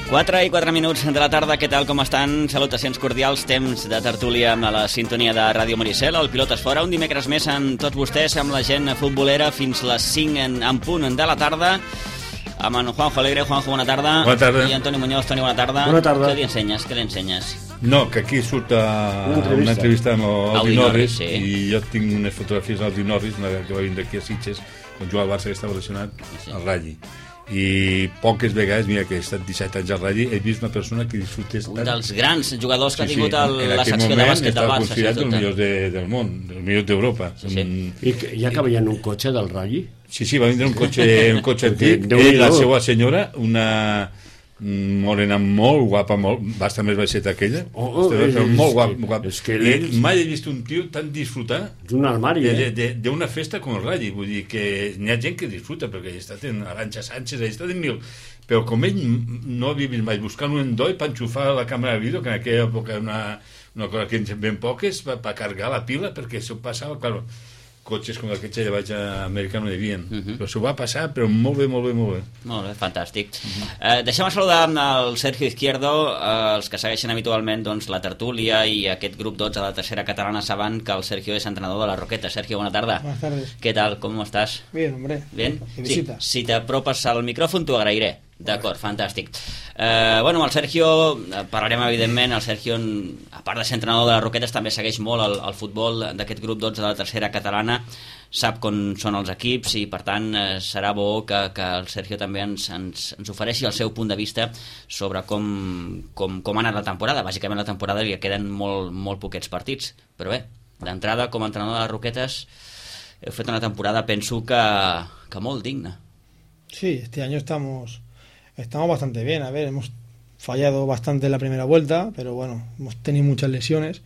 4 i 4 minuts de la tarda, què tal, com estan? Salutacions cordials, temps de tertúlia amb la sintonia de Ràdio Maricel, el Pilotes Fora, un dimecres més amb tots vostès, amb la gent futbolera, fins les 5 en punt de la tarda, amb en Juanjo Alegre. Juanjo, bona tarda. Bona tarda. I Antoni Muñoz. Toni, bona tarda. Bona tarda. Què li ensenyes? No, que aquí surt una entrevista amb Aldi Norris, sí. I jo tinc unes fotografies d'Aldi Norris, que va vindre aquí a Sitges, quan jugava al Barça, que estava relacionat al Ralli. I poques vegades, mira que he estat 17 anys al Ralli, he vist una persona que disfrutés un dels grans jugadors que ha tingut la secció de bàsquet del Barça. Considerat els millors del món, els millors d'Europa. I ja que veien un cotxe del Ralli? Sí, va vindre un cotxe antic. Ell i la seva senyora, una morena molt guapa, bastant més baixeta que ella, però molt guapa. És que mai he vist un tio tan disfrutar d'un armari d'una festa com el Ralli. Vull dir que n'hi ha gent que disfruta, perquè he estat en Arantxa Sánchez, he estat en mil, però com ell no havia vist mai buscant un endoi per enxufar la càmera de vídeo, que en aquella època una cosa que en ben poques, per carregar la pila, perquè això passava, clar, cotxes com aquest ja vaig a Amèrica no hi havia, però s'ho va passar, però molt bé. Molt bé, fantàstic. Deixem saludar el Sergio Izquierdo. Els que segueixen habitualment la tertúlia i aquest grup 12 de la tercera catalana saben que el Sergio és entrenador de la Roqueta. Sergio, bona tarda. Buenas tardes. ¿Qué tal? ¿Cómo estás? Bien, hombre. Bien. Sí, si te apropes al micròfon t'ho agrairé. D'acord, fantàstic. Amb el Sergio parlarem, evidentment. El Sergio, a part de ser entrenador de les Roquetes, també segueix molt el futbol d'aquest grup 12 de la tercera catalana, sap com són els equips i, per tant, serà bo que el Sergio també ens ofereixi el seu punt de vista sobre com ha anat la temporada. Bàsicament la temporada li queden molt poquets partits, però bé, d'entrada, com a entrenador de les Roquetes, heu fet una temporada, penso que molt digna. Sí, este año estamos bastante bien. A ver, hemos fallado bastante en la primera vuelta, pero bueno, hemos tenido muchas lesiones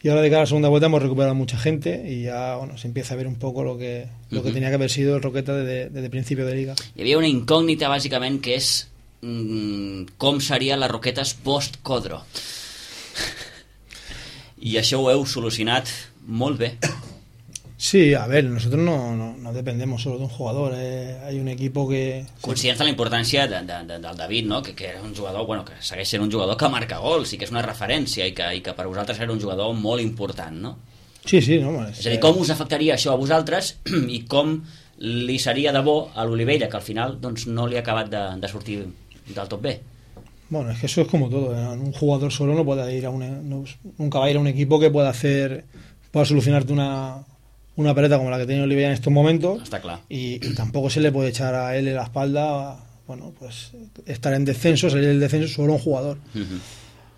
y ahora de cara a la segunda vuelta hemos recuperado mucha gente y ya se empieza a ver un poco lo que tenía que haber sido el Roqueta desde principio de liga. Hi havia una incògnita bàsicament que és com serien les Roquetes post-Codro, i això ho heu solucionat molt bé. Sí, a ver, nosotros no dependemos solo de un jugador, hay un equipo que... Conscients de la importància del David, no? que era un jugador, que segueix sent un jugador que marca gols i que és una referència i que per vosaltres era un jugador molt important, no? Sí, no? És a dir, com us afectaria això a vosaltres i com li seria de bo a l'Olivella, que al final no li ha acabat de sortir del tot bé? Bueno, es que eso es como todo, un jugador solo no puede ir nunca va a ir a un equipo que pueda solucionarte una pelota como la que tiene Olivella en estos momentos. Está claro. Y tampoco se le puede echar a él en la espalda, pues estar en descenso, salir del descenso solo un jugador.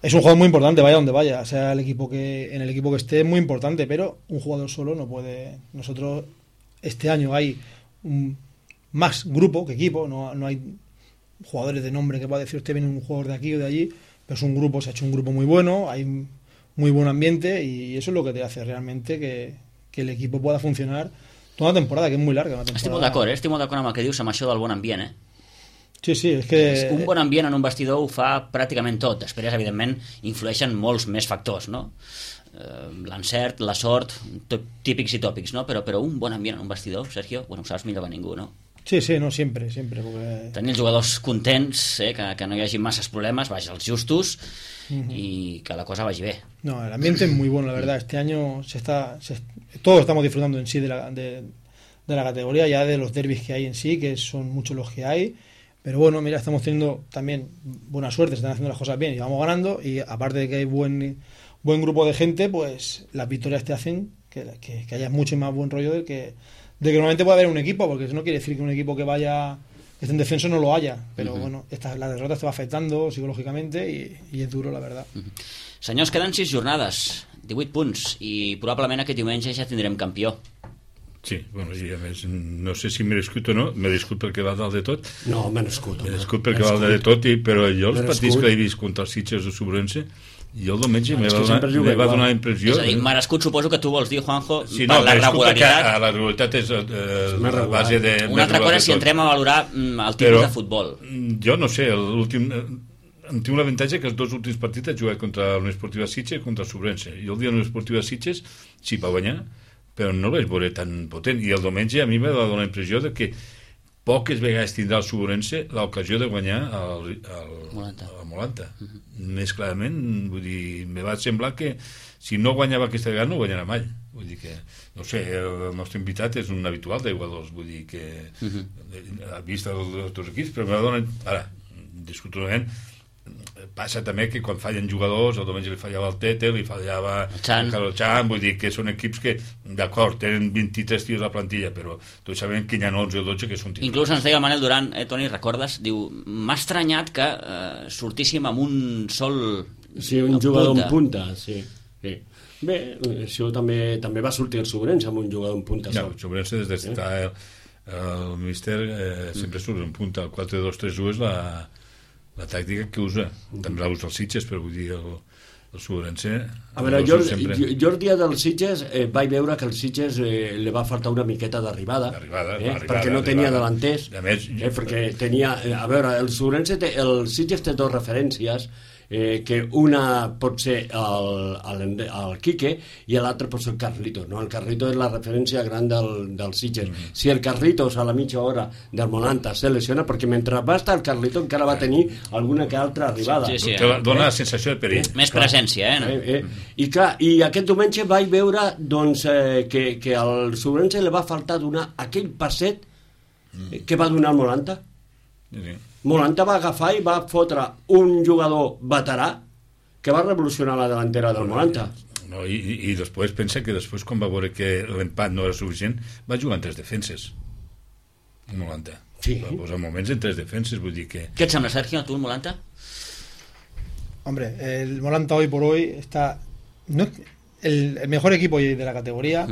Es un jugador muy importante, vaya donde vaya, sea en el equipo que esté, es muy importante, pero un jugador solo no puede. Nosotros este año hay más grupo que equipo, no hay jugadores de nombre que pueda decir usted viene un jugador de aquí o de allí, pero es un grupo, se ha hecho un grupo muy bueno, hay muy buen ambiente y eso es lo que te hace realmente que el equipo pueda funcionar toda la temporada, que es muy larga. Estic molt d'acord amb el que dius, amb això del bon ambient, Sí, és que... Un bon ambient en un vestidor ho fa pràcticament tot. Després, evidentment, influeixen molts més factors, no? L'encert, la sort, típics i tòpics, no? Però un bon ambient en un vestidor, Sergio, ho saps millor que ningú, no? Sí, no, siempre. Porque... Tenir els jugadors contents, que no hi hagi masses problemes, els justos, y que la cosa vaya bien. No, el ambiente es muy bueno, la verdad. Este año todos estamos disfrutando en sí de la categoría, ya de los derbis que hay en sí, que son muchos los que hay. Pero bueno, mira, estamos teniendo también buena suerte, se están haciendo las cosas bien y vamos ganando. Y aparte de que hay buen grupo de gente, pues las victorias te hacen que haya mucho más buen rollo de que normalmente puede haber un equipo, porque eso no quiere decir que un equipo que esté en descenso no lo haya, però la derrota te va afectando psicològicamente i és duro, la verdad. Senyors, queden 6 jornades, 18 punts, i probablement aquest diumenge ja tindrem campió. Sí, i a més, no sé si merescut o no, me discut perquè va dalt de tot. No, merescut. Merescut perquè va dalt de tot, però jo els partits que he vist contra els Sitges o Sobrense, jo el diumenge me va donar la impressió... És a dir, merescut suposo que tu vols dir, Juanjo, per la regularitat. La regularitat és la base de... Una altra cosa és si entrem a valorar el tipus de futbol. Jo no sé, tinc l'avantatge que els dos últims partits he jugat contra l'Unió Esportiva Sitges i contra el Sobrense. I el dia de l'Unió Esportiva Sitges sí va guanyar, però no el vaig veure tan potent. I el diumenge a mi me va donar la impressió de que poques vegades tindrà el Suburense l'ocasió de guanyar el Molanta. Més clarament, vull dir, me va semblar que si no guanyava aquesta vegada no guanyarà mai. Vull dir que, no sé, el nostre invitat és un habitual d'Iguados, vull dir que ha vist els altres equips, però me dona, ara, discutiblement, passa també que quan fallen jugadors, el diumenge li fallava el Tete, li fallava el Chan, vull dir que són equips que, d'acord, tenen 23 tios a la plantilla, però tots sabem que hi ha 11 o 12 que són titulars. Inclús ens deia el Manel Duran, Toni, recordes? Diu, m'ha estranyat que sortíssim amb un sol... Sí, un jugador en punta, sí. Bé, això també va sortir el Sobrense amb un jugador en punta sol. El Sobrense, des d'estar el míster, sempre surt en punta. El 4-2-3-1 és la tàctica que usa. També la usa el Sitges, però vull dir el Sobrense... A veure, jo el dia del Sitges vaig veure que el Sitges li va faltar una miqueta d'arribada, perquè no tenia delanters, perquè tenia... A veure, el Sitges té dos referències, que una pot ser el Quique i l'altre pot ser el Carlitos, no? El Carlitos és la referència gran del Sitges. Si el Carlitos a la mitja hora del Molanta se lesiona, perquè mentre va estar el Carlitos encara va tenir alguna que altra arribada. Dona la sensació de perill. Més presència, I clar, i aquest diumenge vaig veure doncs, que al Sobrense li va faltar donar aquell passet que va donar el Molanta. Molanta va agafar i va fotre un jugador veterà que va revolucionar la delantera del Molanta. I després pensa que després, quan va veure que l'empat no era suficient, va jugar en 3 defenses el Molanta. Va posar moments en 3 defenses, vull dir que... ¿Qué te sembla, Sergio, tú el Molanta? Hombre, el Molanta hoy por hoy está... No es el mejor equipo de la categoría.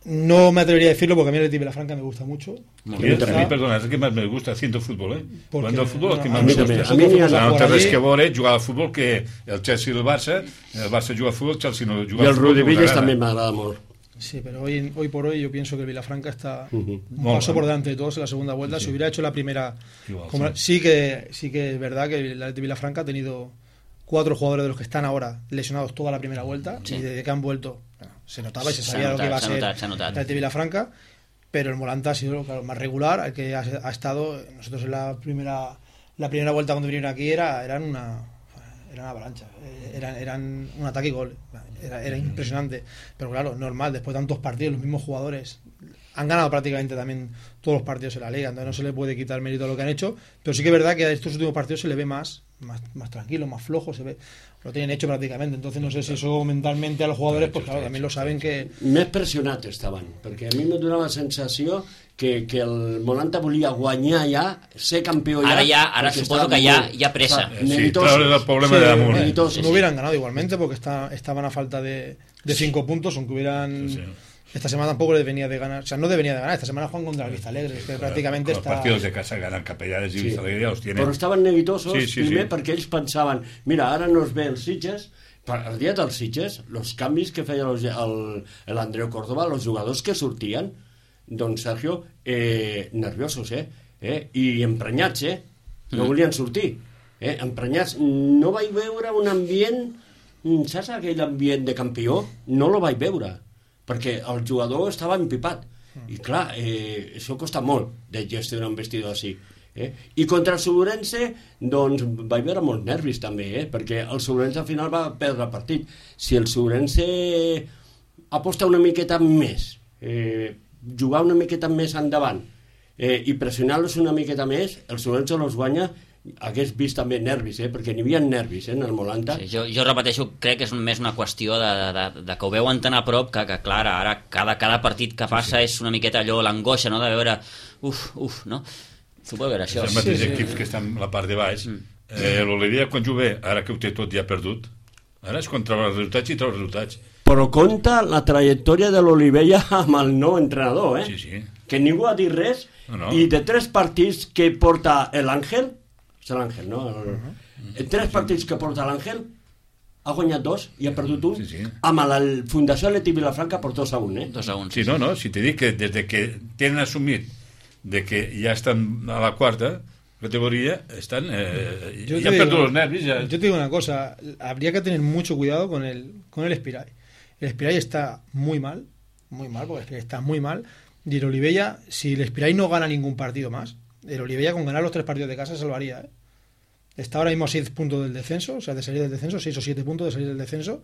No me atrevería a decirlo porque a mí el Vilafranca me gusta mucho. A mí, perdona, es el que más me gusta haciendo fútbol, Cuando el fútbol es que más me gusta. A mí no té res que veure jugar al futbol que el Chelsea i el Barça juga al futbol, el Chelsea no juga al futbol. Y el Rudivillas también me agrada mucho. Sí, pero hoy por hoy yo pienso que el Vilafranca está un paso por delante de todos en la segunda vuelta. Si hubiera hecho la primera... Sí que es verdad que el Vilafranca ha tenido 4 jugadores de los que están ahora lesionados toda la primera vuelta y desde que han vuelto se notaba y se sabía lo que iba a ser el Vilafranca, pero el Molanta ha sido más regular, el que ha estado. Nosotros en la primera vuelta cuando vinieron aquí eran una avalancha, eran un ataque y gol, era impresionante, pero claro, normal, después de tantos partidos los mismos jugadores han ganado prácticamente también todos los partidos en la liga, entonces no se le puede quitar el mérito a lo que han hecho, pero sí que es verdad que a estos últimos partidos se le ve más tranquilo, más flojo, se ve, lo tienen hecho prácticamente, entonces no sé si eso mentalmente a los jugadores, pues claro, también lo saben que... Més pressionats estaven, perquè a mi me donava la sensació que el Molanta volia guanyar ja, ser campió ja... Ara suposo que ya presa. Sí, traure el problema de damunt. No hubieran ganado igualmente porque estaban a falta de 5 puntos, aunque hubieran... Esta semana tampoco les venía de ganar, o sea, no devenía de ganar, esta semana juegan contra el Vista Alegre, que prácticamente los partidos de casa ganan Capellanes y Vista Alegre, los tienen. Però estaven neguitosos, primer perquè ells pensaven, mira, ara no es ve el Sitges, el dia dels Sitges, els canvis que feia l'Andreu Córdoba, els jugadors que sortien, doncs, Sergio, nerviosos, i emprenyats, no volien sortir, emprenyats. No vaig veure un ambient, saps aquell ambient de campió? No lo vaig veure, perquè el jugador estava empipat i clar, això costa molt de gestionar un vestidor així, i contra el Sobrense doncs vaig veure molts nervis també, perquè el Sobrense al final va perdre el partit. Si el Sobrense aposta una miqueta més, jugar una miqueta més endavant i pressionar-los una miqueta més, el Sobrense els guanya. Hagués vist també nervis, perquè n'hi havia nervis en el Molanta. Sí, jo repeteixo, crec que és més una qüestió de que ho veuen tan a prop que clar, ara cada partit que passa és una miqueta allò, l'angoixa, no?, de veure no? Suposo que era això. Els mateixos equips que estan a la part de baix. L'Olivia, quan juga, ara que ho té tot ja perdut, ara és quan troba els resultats i troba els resultats. Però compta la trajectòria de l'Olivella amb el nou entrenador, Sí. Que ningú ha dit res, i de 3 partits que porta l'Àngel, és l'Àngel, no? 3 partits que porta l'Àngel, ha guanyat 2 i ha perdut 1, amb la Fundació Atlètic Vilafranca per 2-1, 2-1. Sí, no, si te dic que des que tenen assumit de que ja estan a la 4ª categoría, están ya perdido los nervios. Yo te digo una cosa, habría que tener mucho cuidado con el Espirai. El Espirai está muy mal, porque el Espirai está muy mal, Y el Olivella, si el Espiray no gana ningún partido más, el Olivella con ganar los 3 partidos de casa se salvaría, ¿eh? Está ahora mismo a 6 puntos del descenso, o sea, de salir del descenso, 6 o 7 puntos de salir del descenso.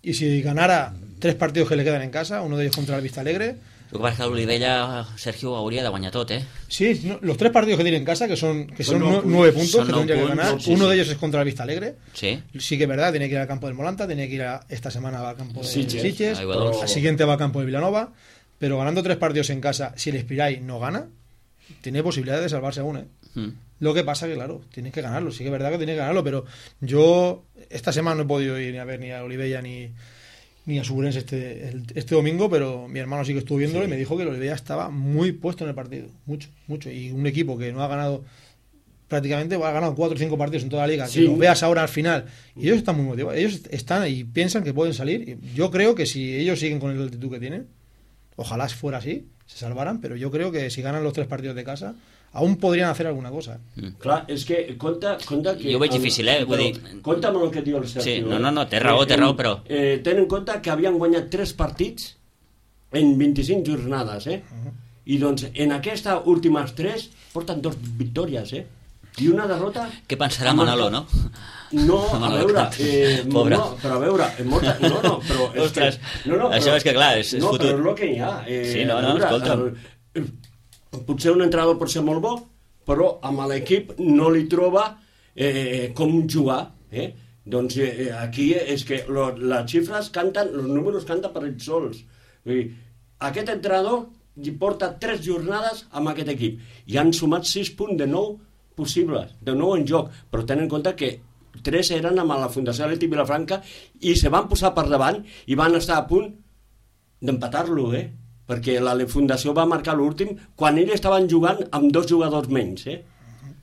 Y si ganara 3 partidos que le quedan en casa, uno de ellos contra el Vistalegre. El que passa que l'Olivella, Sergio, hauria de guanyar tot, ¿eh? Sí, no, los 3 partidos que tiene en casa, que son 9 puntos, son que tendría que ganar. Sí, uno sí. de ellos es contra el Vistalegre. Sí. Sí que es verdad, tiene que ir al campo del Molanta, tiene que ir esta semana al campo de Sitges, Aigua Dolça. al siguiente va al campo de Vilanova, pero ganando 3 partidos en casa, si el Espiray no gana, tiene posibilidades de salvarse aún, ¿eh? Lo que pasa que, claro, tienes que ganarlo, sí que es verdad que tienes que ganarlo, pero yo esta semana no he podido ir a ver ni a Olivella ni a Suburense este domingo, pero mi hermano sí que estuvo viéndolo y me dijo que el Olivella estaba muy puesto en el partido, mucho, y un equipo que no ha ganado prácticamente, ha ganado 4 o 5 partidos en toda la liga, que los veas ahora al final, y ellos están muy motivados, ellos están y piensan que pueden salir, y yo creo que si ellos siguen con la actitud que tienen, ojalá fuera así, se salvaran, pero yo creo que si ganan los 3 partidos de casa aún podrien hacer alguna cosa. Clar, és que compta que... Jo ho veig difícil, Vull dir... Compta amb el que diu el Sergio. Sí, no, té raó, però... Ten en compte que havien guanyat 3 partits en 25 jornades, I doncs en aquestes últimes 3 porten 2 victòries, I una derrota... Què pensarà Manolo, no? No, a veure... Pobre. No, però a veure... però... Ostres, això és que clar, és futur. No, però és fotut. el que hi ha. Sí, no, escolta'm. Potser un entrenador pot ser molt bo, però amb l'equip no li troba com jugar, Doncs aquí és que les xifres canten, els números canten per ells sols. Vull dir, aquest entrenador porta 3 jornades amb aquest equip i han sumat 6 punts de 9 possibles, de 9 en joc, però tenen en compte que 3 eren amb la Fundació Atlètic Vilafranca i se van posar per davant i van estar a punt d'empatar-lo, perquè la Fundació va marcar l'últim quan ells estaven jugant amb 2 jugadors menys,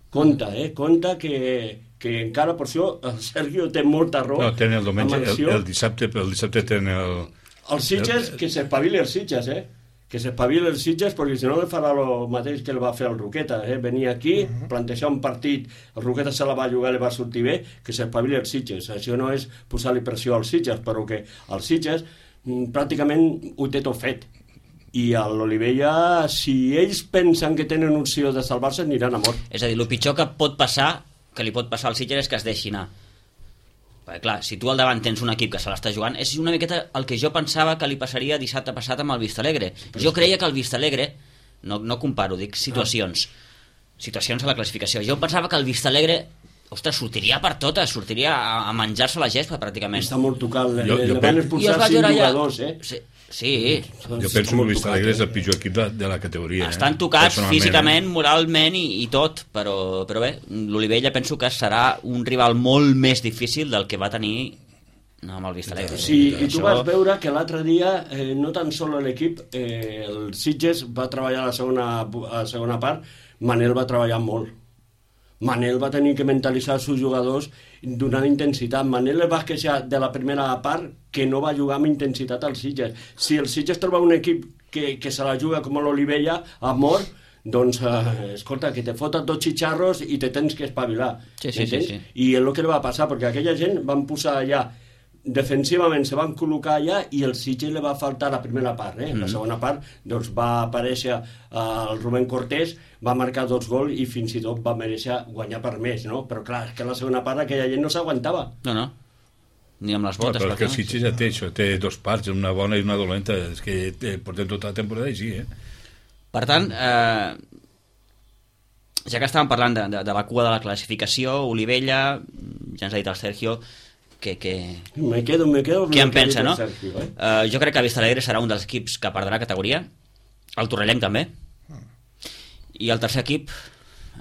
Compte que encara per això el Sergio té molta raó. No, tenen el diumenge, el dissabte tenen els Sitges, que s'espavili els Sitges, que s'espavili els Sitges, perquè si no li farà el mateix que el va fer el Roqueta, venir aquí, plantejar un partit, el Roqueta se la va jugar, li va sortir bé, que s'espavili els Sitges. Això no és posar-li pressió als Sitges, però que els Sitges pràcticament ho té tot fet. I a l'Olivella, si ells pensen que tenen opció de salvar-se, aniran a mort. És a dir, el pitjor que li pot passar al Sitges és que es deixi anar. Perquè clar, si tu al davant tens un equip que se l'està jugant, és una miqueta el que jo pensava que li passaria dissabte passat amb el Vistalegre. Jo creia que el Vistalegre, no comparo, dic situacions a la classificació, jo pensava que el Vistalegre, ostres, sortiria per totes, sortiria a menjar-se la gespa pràcticament. Està molt tocat, le van expulsar 5 jugadors, Sí. Jo penso que el Vistalegre és el pitjor equip de la categoria. Estan tocats físicament, moralment i tot, però bé, l'Olivella penso que serà un rival molt més difícil del que va tenir amb el Vistalegre. Sí, i tu vas veure que l'altre dia no tan sols l'equip, el Sitges va treballar a la segona part, Manel va treballar molt. Manel va tenir que mentalitzar els seus jugadors donant intensitat. Manel es va queixar de la primera part que no va jugar amb intensitat al Sitges. Si el Sitges troba un equip que se la juga com l'Olivella a mort, doncs, escolta, que te foten 2 xitxarros i te tens que espavilar. Sí. I és el que li va passar, perquè aquella gent van posar allà defensivament se van col·locar allà i el Sitges li va faltar la primera part, La segona part doncs, va aparèixer el Rubén Cortés, va marcar 2 gols i fins i tot va mereixer guanyar per més, no? Però clar, és que la segona part aquella gent no s'aguantava. No, ni amb les botes. Però que el Sitges ja té això, té 2 parts, una bona i una dolenta, és que portem tota la temporada i sí, Per tant, ja que estàvem parlant de la cua de la classificació, Olivella, ja ens ha dit el Sergio, Me quedo què en pensa, no? Jo crec que Vistalegre serà un dels equips que perdrà categoria, el Torrellenc també, i el tercer equip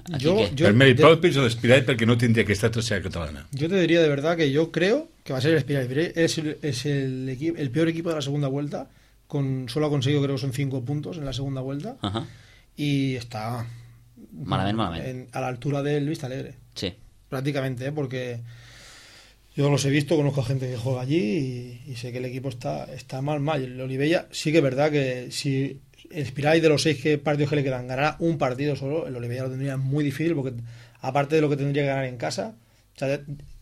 per mèrit propi és l'Espiral, perquè no tindria que estar tercera catalana. Yo te diría de verdad que yo creo que va a ser el Espiral. Es el peor equipo de la segunda vuelta, solo ha conseguido, creo que son 5 puntos en la segunda vuelta, y está malament. A la altura del Vistalegre, sí, prácticamente, porque yo los he visto, conozco a gente que juega allí y sé que el equipo está mal. El Olivella sí que es verdad que si el Espiral de los 6 partidos que le quedan ganará un partido solo, el Olivella lo tendría muy difícil, porque aparte de lo que tendría que ganar en casa, o sea,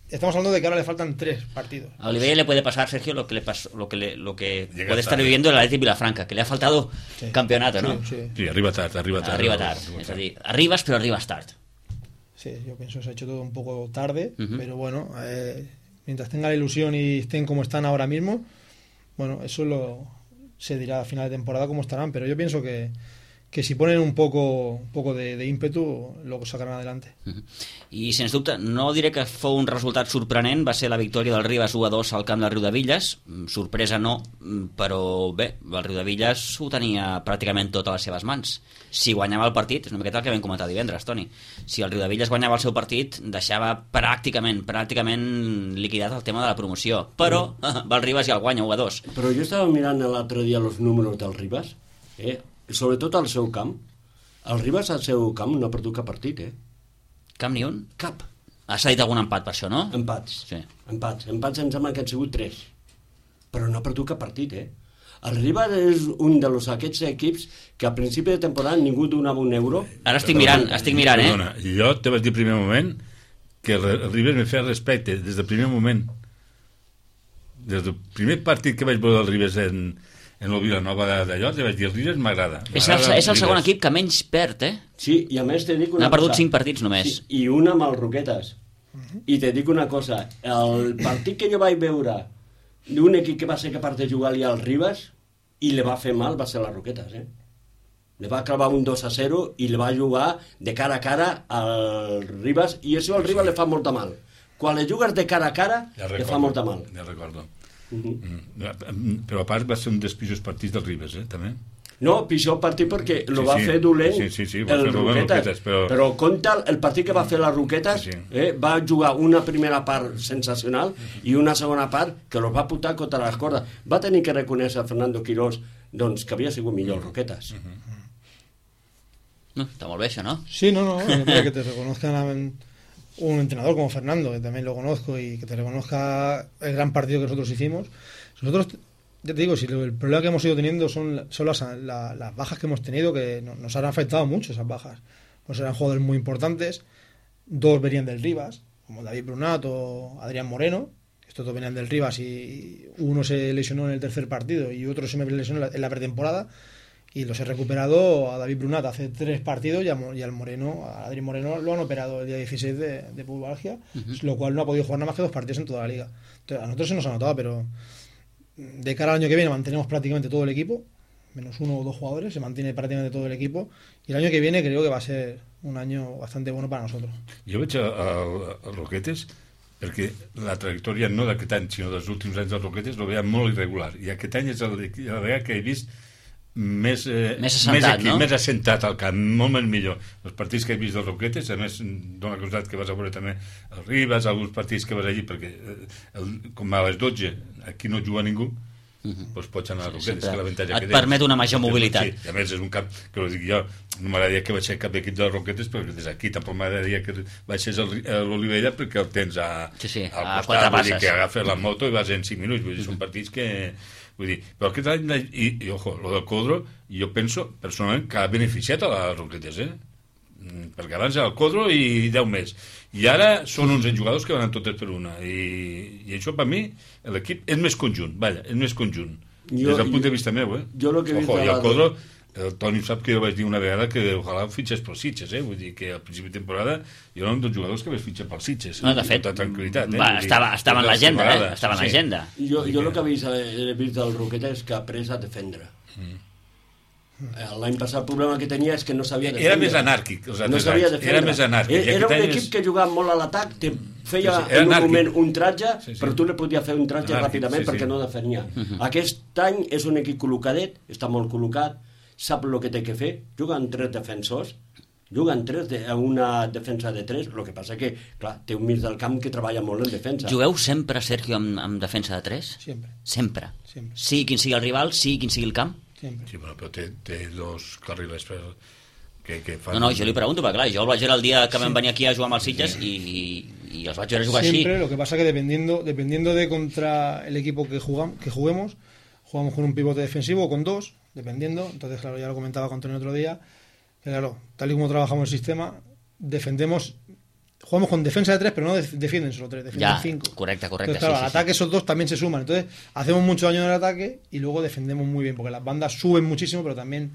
estamos hablando de que ahora le faltan 3 partidos. A Olivella le puede pasar, Sergio, lo que puede estar viviendo el Athletic Vilafranca, que le ha faltado campeonato, ¿no? Sí, arriba tard. És a dir, arribes però arribes tard. Sí, yo pienso que se ha hecho todo un poco tarde, pero bueno, mientras tenga la ilusión y estén como están ahora mismo, bueno, eso se dirá a final de temporada cómo estarán, pero yo pienso que si ponen un poco de ímpetu, lo sacarán adelante. I, sens dubte, no diré que fou un resultat sorprenent, va ser la victòria del Ribas 1-2 al camp del Riudebitlles, sorpresa no, però bé, el Riudebitlles ho tenia pràcticament tot a les seves mans. Si guanyava el partit, és una miqueta el que vam comentar divendres, Toni, si el Riudebitlles guanyava el seu partit, deixava pràcticament liquidat el tema de la promoció, però el Ribas ja el guanya 1-2. Però jo estava mirant l'altre dia els números del Ribas, sobretot al seu camp. El Ribas al seu camp no ha perdut cap partit, Cap ni un? Cap. Ha cedit algun empat per això, no? Empats. Sí. Empats em sembla que han sigut 3. Però no ha perdut cap partit, El Ribas és un d'aquests equips que a principi de temporada ningú donava un euro. Ara estic mirant, Perdona, jo te vaig dir al primer moment que el Ribas me feia respecte des del primer moment. Des del primer partit que vaig veure el Ribas en el Vilanova d'allò, li vaig dir, el Ribas m'agrada. És el segon equip que menys perd, Sí, i a més te dic una cosa. N'ha perdut 5 partits només. Sí, i una amb els Roquetes. I te dic una cosa, el partit que jo vaig veure d'un equip que va ser capaç de jugar-li al Ribas i li va fer mal va ser les Roquetes, Le va clavar un 2-0 i li va jugar de cara a cara al Ribas, i això al Ribas li fa molta mal. Quan li jugues de cara a cara, li fa molta mal. Ja recordo. Però a part va ser un dels pitjors partits del Ribas, també. No, pitjor partit perquè lo va fer dolent el Roquetes, però compta el partit que va fer les Roquetes, va jugar una primera part sensacional i una segona part que los va putar contra les cordes. Va tenir que reconèixer a Fernando Quirós que havia sigut millor el Roquetes. No, está molt bé això, ¿no? Sí, no, que te reconozcan un entrenador como Fernando, que también lo conozco, y que te reconozca el gran partido que nosotros hicimos. Nosotros, ya te digo, si el problema que hemos ido teniendo son las bajas que hemos tenido, que nos han afectado mucho esas bajas. Pues eran jugadores muy importantes, 2 venían del Ribas, como David Brunat o Adrián Moreno, estos 2 venían del Ribas y uno se lesionó en el tercer partido y otro se me lesionó en la pretemporada, y los he recuperado a David Brunat hace 3 partidos y al Moreno, a Adrián Moreno lo han operado el día 16 de pubalgia, lo cual no ha podido jugar nada más que 2 partidos en toda la liga. Entonces, a nosotros se nos ha notado, pero de cara al año que viene mantenemos prácticamente todo el equipo, menos 1 o 2 jugadores, se mantiene prácticamente todo el equipo, y el año que viene creo que va a ser un año bastante bueno para nosotros. Jo veig a Roquetes, perquè la trajectòria no d'aquest any sinó dels últims anys dels Roquetes lo veia molt irregular, i aquest any és la vegada que he vist més assentat al camp, molt més millor. Els partits que he vist dels Roquetes, a més dona casualitat que vas a veure també el Ribas, alguns partits que vas allí, perquè com a les 12 aquí no juga ningú, doncs pots anar a Roquetes, que l'avantatge que et permet una major mobilitat. Sí, a més és un camp que ho dic jo, no m'agradaria que vaig ser cap d'equip de Roquetes, perquè des d'aquí tampoc m'agradaria que vaig ser a l'Olivella, perquè el tens al costat, vull dir que agafes la moto i vas en 5 minuts, vull dir, són partits que... Vull dir, però aquest any, i ojo, lo del Codro, jo penso personalment que ha beneficiat a les Roquetes, perquè abans era el Codro i 10 més, i ara són 11 jugadors que van totes per una, i això per mi l'equip és més conjunt, és més conjunt, des del punt de vista meu, ojo, i el Codro, el Toni sap que jo vaig dir una vegada que ojalà fitxes pels Sitges, vull dir que al principi de temporada jo era un dels jugadors que vaig fitxar pels Sitges, no, de fet, amb tota tranquil·litat, estava en l'agenda, Jo el que he vist del Roqueta és que ha après a defendre. L'any passat el problema que tenia és que no sabia defendre. Era més anàrquic els altres anys. Era més anàrquic. Era un equip que jugava molt a l'atac, te feia en un moment un tratge, però tu li podies fer un tratge ràpidament perquè no defenia. Aquest any és un equip col·locadet, està molt col·locat, sap el que té que fer, juga amb 3 defensors, juga amb 3 a una defensa de 3, el que passa que, clar, té un mig del camp que treballa molt en defensa. Jugueu sempre, Sergio, amb defensa de 3? Sempre. Sigui quin sigui el rival, sigui quin sigui el camp? Sí, però té 2 carrilers que fan... No, jo li pregunto, perquè clar, jo el vaig veure el dia que vam venir aquí a jugar amb els Sitges y els vaig veure jugar siempre, así. Lo que pasa que dependiendo de contra el equipo que juguemos, jugamos con un pivote defensivo o con 2, dependiendo. Entonces, claro, ya lo comentaba con Antonio otro día, que claro, tal y como trabajamos el sistema, defendemos jugamos con defensa de 3, pero no defienden solo 3, defienden 5. Correcte. Entonces, claro, al ataque esos dos también se suman. Entonces, hacemos mucho daño en el ataque y luego defendemos muy bien, porque las bandas suben muchísimo, pero también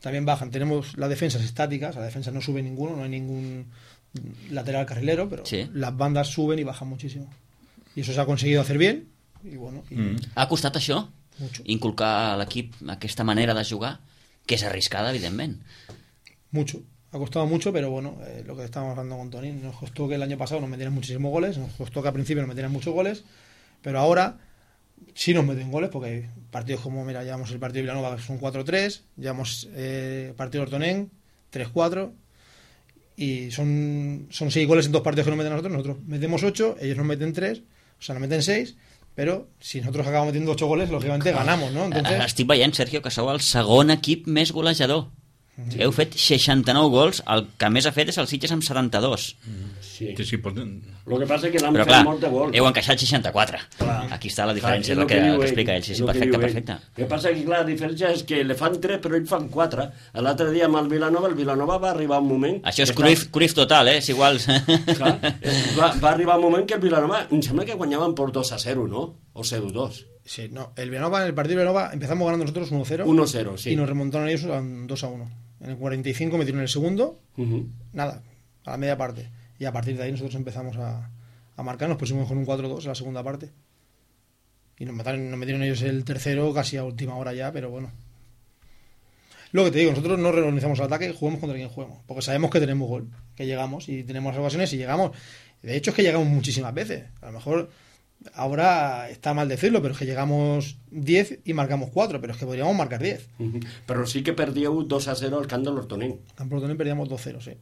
bajan. Tenemos las defensas estáticas, la defensa no sube ninguno, no hay ningún lateral carrilero, pero las bandas suben y bajan muchísimo. Y eso se ha conseguido hacer bien. Y bueno, Ha costat això? Mucho. Inculcar a l'equip aquesta manera de jugar, que és arriscada, evidentment. Mucho. Ha costado mucho, pero bueno, lo que estábamos hablando con Tony, nos costó que el año pasado nos metieran muchísimos goles, nos costó que al principio nos metieran muchos goles, pero ahora sí nos meten goles, porque hay partidos como, mira, llevamos el partido de Vilanova, que son 4-3, llevamos partido de Hortonén, 3-4, y son 6 goles en 2 partidos que nos meten a nosotros metemos 8, ellos nos meten 3, o sea, nos meten 6, però si nosaltres acabamos metiendo 8 goles, lógicamente ganamos, ¿no? Entonces... Estic veient, Sergio, que sou el segon equip més golejador. Sí. Heu fet 69 gols, el que més ha fet és el Sitges amb 72. Sí. Lo que passa és que l'han fet molt de gols. Heu encaixat 64. Clar. Aquí està la diferència, és el que explica ell. Sí, perfecte. El que passa és que la diferència és que le fan 3 però ells fan 4. L'altre dia amb el Vilanova va arribar un moment... Això és Cruyff total, és igual. Clar, va arribar un moment que el Vilanova, em sembla que guanyaven por 2-0, ¿no? O 0-2. Sí, no, el partido de Vilanova empezamos ganando nosotros 1-0. 1-0, sí. Y nos remontaron ellos a 2-1. En el 45 metieron el segundo, nada, a la media parte. Y a partir de ahí nosotros empezamos a marcar, nos pusimos con un 4-2 en la segunda parte. Y nos metieron ellos el tercero casi a última hora ya, pero bueno. Lo que te digo, nosotros no reorganizamos el ataque, jugamos contra quien juguemos, porque sabemos que tenemos gol, que llegamos y tenemos las ocasiones y llegamos. De hecho es que llegamos muchísimas veces. A lo mejor ahora está mal decirlo, pero es que llegamos 10 y marcamos 4, pero es que podríamos marcar 10. Pero sí que perdió 2-0 al camp de l'Hortonén. Campo Hortonén perdíamos 2-0, sí.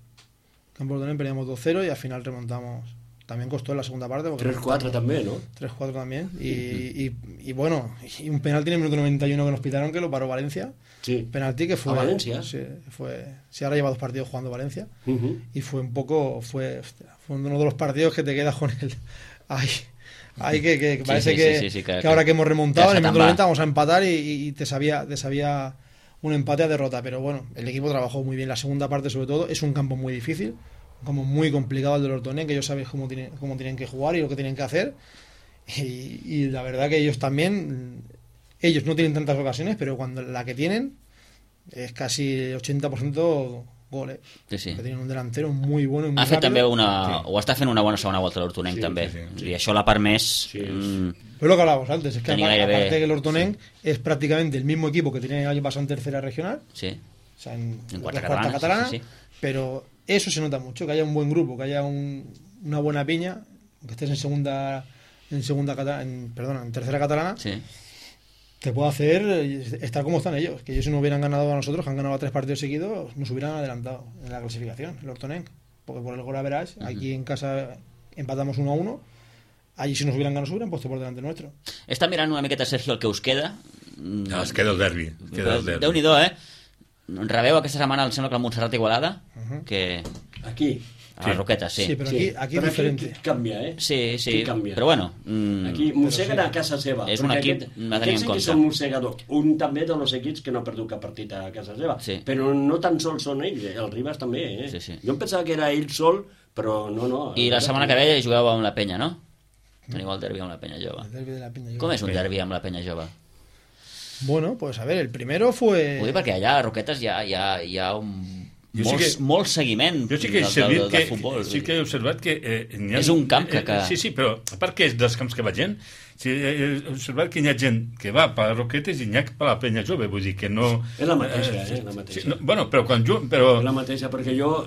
Campo Hortonén perdíamos 2-0 y al final remontamos. También costó en la segunda parte. 3-4 también, ¿no? 3-4 también. Y bueno, y un penalti en el minuto 91 que nos pitaron, que lo paró Valencia. Sí. Penalti que fue... ¿A Valencia? Sí, ahora lleva 2 partidos jugando Valencia. Y fue un poco... Fue uno de los partidos que te quedas con él. Ay, que parece que ahora que hemos remontado en el minuto 90 vamos a empatar y te sabía un empate a derrota, pero bueno, el equipo trabajó muy bien la segunda parte, sobre todo. Es un campo muy difícil, un campo muy complicado el del Hortonén, que ellos saben cómo tienen que jugar y lo que tienen que hacer, y la verdad que ellos no tienen tantas ocasiones, pero cuando la que tienen es casi 80% goles. Sí. Que tienen un delantero muy bueno y muy ha fet rápido. També o està fent una bona segona volta l'Hortonenc, també. I això la part més... Pero lo que hablábamos antes, es que aparte que el Hortonenc es prácticamente el mismo equipo que tenía el año pasado en tercera regional, o sea, en cuarta catalana, pero eso se nota mucho, que haya un buen grupo, que haya una buena piña, que estés en tercera catalana, te puede hacer estar como están ellos, que ellos si no hubieran ganado a nosotros, que han ganado 3 partidos seguidos, nos hubieran adelantado en la clasificación, el Hortonenc, porque por el gol average, aquí en casa empatamos 1-1, allí si nos hubieran ganado, hubieran puesto por delante nuestro. Està mirant una miqueta, Sergio, el que us queda. No, es queda el derbi. Déu-n'hi-do, Rebeu aquesta setmana, em sembla que el Montserrat Igualada, que... Aquí. A les Roquetes, sí. Sí, pero aquí es diferente. Aquí cambia, Sí, però bueno... Aquí mosseguen a casa seva. És un equip a tenir en compte. Aquests són mossegadors. Un també dels equips que no ha perdut cap partit a casa seva. Però no tan sols són ells, el Ribas també, Jo em pensava que era ell sol, però no. I la setmana que ve jugueu amb la Penya, no? Teniu el derbi amb la Penya Jove. Com és un derbi amb la Penya Jove? Bueno, pues a ver, el primero fue... Ho dic perquè allà a Roquetes hi ha molt seguiment del futbol. Sí que he observat que... és un camp que... Sí, però a part que és dels camps que va gent, he observat que hi ha gent que va per a Roquetes i n'hi ha per a la Penya Jove, vull dir que no... És la mateixa, la mateixa. Bueno, però quan jo... És la mateixa, perquè jo,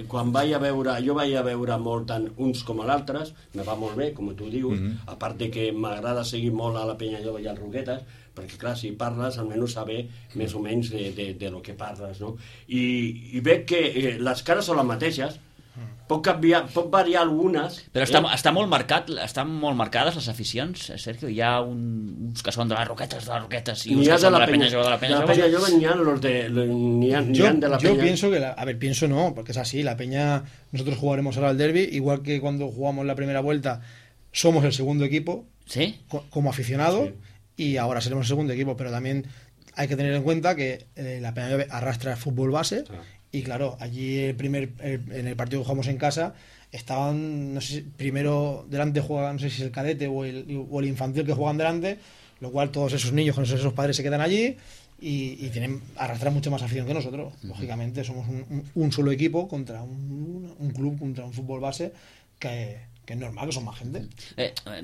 quan vaig a veure molt tant uns com a l'altres, me va molt bé, com tu dius, a part de que m'agrada seguir molt a la Penya Jove i al Roquetes, perquè clar, si parles almenys saber més o menys de lo que parles, no? I veig que les cares són les mateixes, pot variar algunes... Però està molt marcat, estan molt marcades les aficions, Sergio? Hi ha uns que són de les Roquetes i uns que són de la Penya Jove de la Penya Jove. De la Penya Jove n'hi ha de la Penya. Yo pienso que, pienso no, porque es así, la Peña, nosotros jugaremos ahora el derbi, igual que cuando jugamos la primera vuelta, somos el segundo equipo, como aficionado, y ahora seremos el segundo equipo, pero también hay que tener en cuenta que la Peña Jove arrastra el fútbol base Y claro, allí en el partido que jugamos en casa, estaban, no sé, primero delante juegan, no sé si es el cadete o el infantil que juegan delante, lo cual todos esos niños con esos padres se quedan allí y arrastran mucho más afición que nosotros. Lógicamente, somos un solo equipo contra un club, contra un fútbol base que és normal, que són més gent.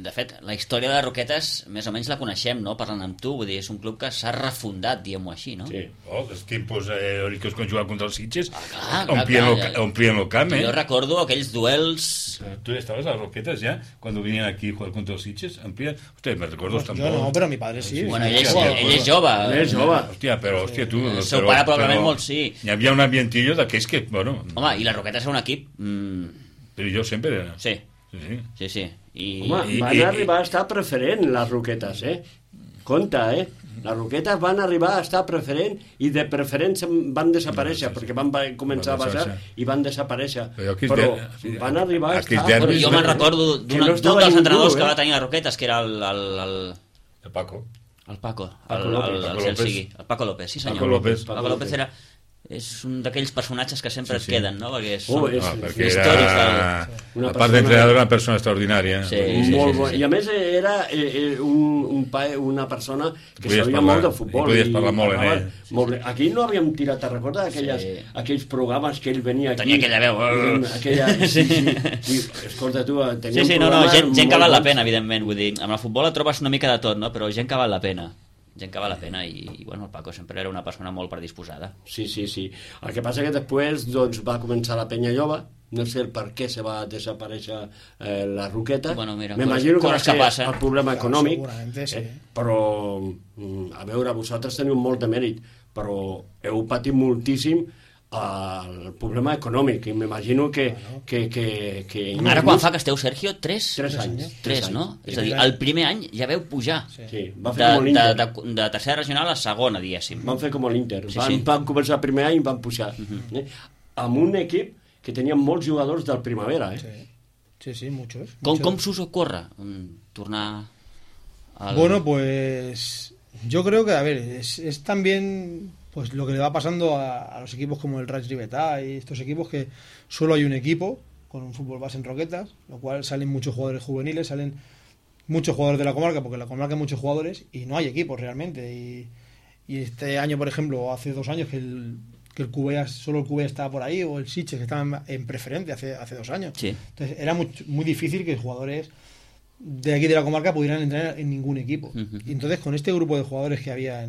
De fet, la història de Roquetes més o menys la coneixem, no?, parlant amb tu, vull dir, és un club que s'ha refundat, diguem-ho així, no? Sí, els tiempos que quan jugaven contra els Sitges omplien el camp, Jo recordo aquells duels... Tu estaves a Roquetes ja, quan venien aquí a jugar contra els Sitges? Hòstia, me recordo... Jo no, però mi padre sí. Bueno, ell és jove. Hòstia, però tu... El seu pare probablement molt sí. Hi havia un ambientillo d'aquells que, bueno... Home, i la Roquetes era un equip... Però jo sempre era... Sí. Home, van arribar a estar preferent les Roquetes, compte, les Roquetes van arribar a estar preferent i de preferent van desaparèixer perquè van començar a baixar i van desaparèixer, però van arribar a estar... Jo me'n recordo d'un dels entrenadors que va tenir les Roquetes, que era el Paco. El Paco López, sí senyor. Paco López era... és un d'aquells personatges que sempre et queden, no? Perquè són històrics a part d'entrenador, una persona extraordinària. Molt bo. I a més era una persona que sabia molt de futbol. I podies parlar molt en ell. Aquí no havíem tirat, te recordes aquells programes que ell venia aquí? Tenia aquella veu. Sí. Escolta tu, tenia un programa... Gent que val la pena, evidentment. Vull dir, amb el futbol et trobes una mica de tot, no? Però gent que val la pena. I bueno, el Paco sempre era una persona molt predisposada. Sí. El que passa que després va començar la Penya Lloba, no sé el per què se va desaparèixer la Roqueta. Bueno, mira, m'imagino que va ser el problema econòmic, sí. Però a veure, vosaltres teniu molt de mèrit, però heu patit moltíssim el problema econòmic, i m'imagino que... Ara quan fa que esteu, Sergio? 3 anys. 3, no? És a dir, el primer any ja veu pujar va fer com l'Inter. De tercera regional a segona, diguéssim. Van fer com l'Inter. Van començar el primer any i van pujar. Amb un equip que tenia molts jugadors del Primavera. Sí, muchos. Com s'us ocorre tornar al... Bueno, pues yo creo que, a ver, es también... pues lo que le va pasando a los equipos como el Raig Ribetà y estos equipos, que solo hay un equipo con un fútbol base en Roquetas, lo cual salen muchos jugadores juveniles, salen muchos jugadores de la comarca, porque en la comarca hay muchos jugadores y no hay equipos realmente. Y este año, por ejemplo, hace 2 años que el Cubea, solo el Cubea estaba por ahí, o el Sitges, que estaba en preferente hace 2 años. Sí. Entonces era muy difícil que jugadores de aquí de la comarca pudieran entrar en ningún equipo. Y entonces con este grupo de jugadores que había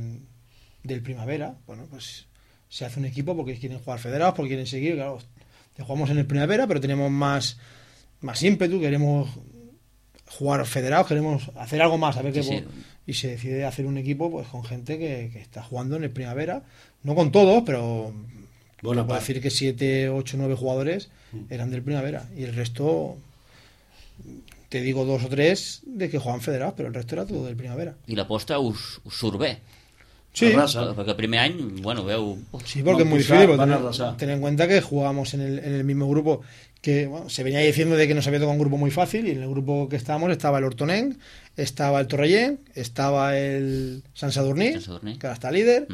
del Primavera, bueno, pues se hace un equipo porque quieren jugar federados, porque quieren seguir, claro, jugamos en el Primavera, pero tenemos más ímpetu, queremos jugar federados, queremos hacer algo más, a ver y se decide hacer un equipo pues con gente que está jugando en el Primavera, no con todos, pero bueno, puedo decir que 7, 8, 9 jugadores eran del Primavera y el resto, te digo 2 o 3 de que juegan federados, pero el resto era todo del Primavera. I l'aposta us surt bé? Sí, porque el primer año, bueno, veo... Sí, porque es muy difícil. Ten en cuenta que jugábamos en el mismo grupo que se venía diciendo de que nos había tocado un grupo muy fácil, y en el grupo que estábamos estaba el Hortonenc, estaba el Torrellén, estaba el Sant Sadurní, que ahora está líder.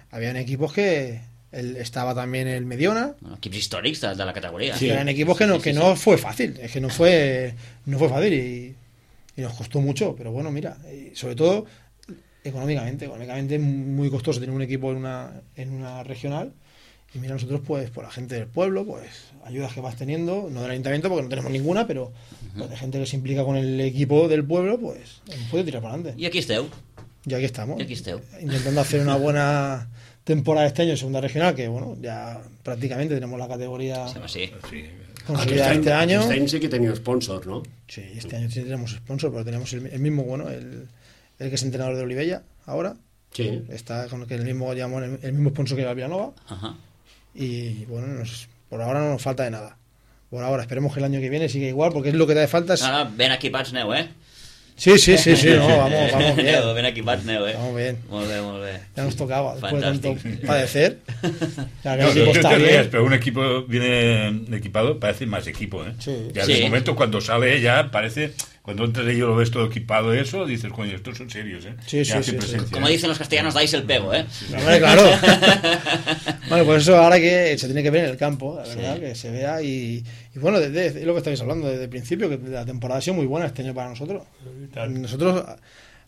Habían equipos que... estaba también el Mediona. Bueno, equipos históricos de la categoría. Sí, eran equipos que no fue fácil, es que no fue fácil y nos costó mucho, pero bueno, mira, sobre todo... Económicamente es muy costoso tener un equipo en una regional, y mira, nosotros pues por la gente del pueblo, pues ayudas que vas teniendo, no del ayuntamiento porque no tenemos ninguna, pero pues, de gente que se implica con el equipo del pueblo, pues puede tirar para adelante. Y aquí esteu. Y aquí estamos. Intentando hacer una buena temporada este año en segunda regional, que bueno, ya prácticamente tenemos la categoría consolidada este año. Este año sí que tenemos sponsor, ¿no? Sí, este año sí tenemos sponsor, pero tenemos el mismo, bueno, el que es entrenador de Olivella ahora, está con el mismo sponsor que la Villanova. Y bueno, por ahora no nos falta de nada. Por ahora, esperemos que el año que viene siga igual, porque es lo que te hace falta. No, ben equipats aneu, Sí, no, vamos bien. Ben equipats aneu, Vamos bien. Molt bé. Ya nos tocaba, después de tanto padecer. Pero un equipo viene equipado, parece más equipo, Sí. Ya de momento cuando sale ya parece Cuando entras ahí y lo ves todo equipado eso, dices, coño, estos son serios, ¿eh? Sí. Como dicen los castellanos, dais el pego, ¿eh? Sí. Claro. Bueno, pues eso ahora que se tiene que ver en el campo, la verdad, que se vea y bueno, es lo que estáis hablando desde el principio, que la temporada ha sido muy buena este año para nosotros. Nosotros,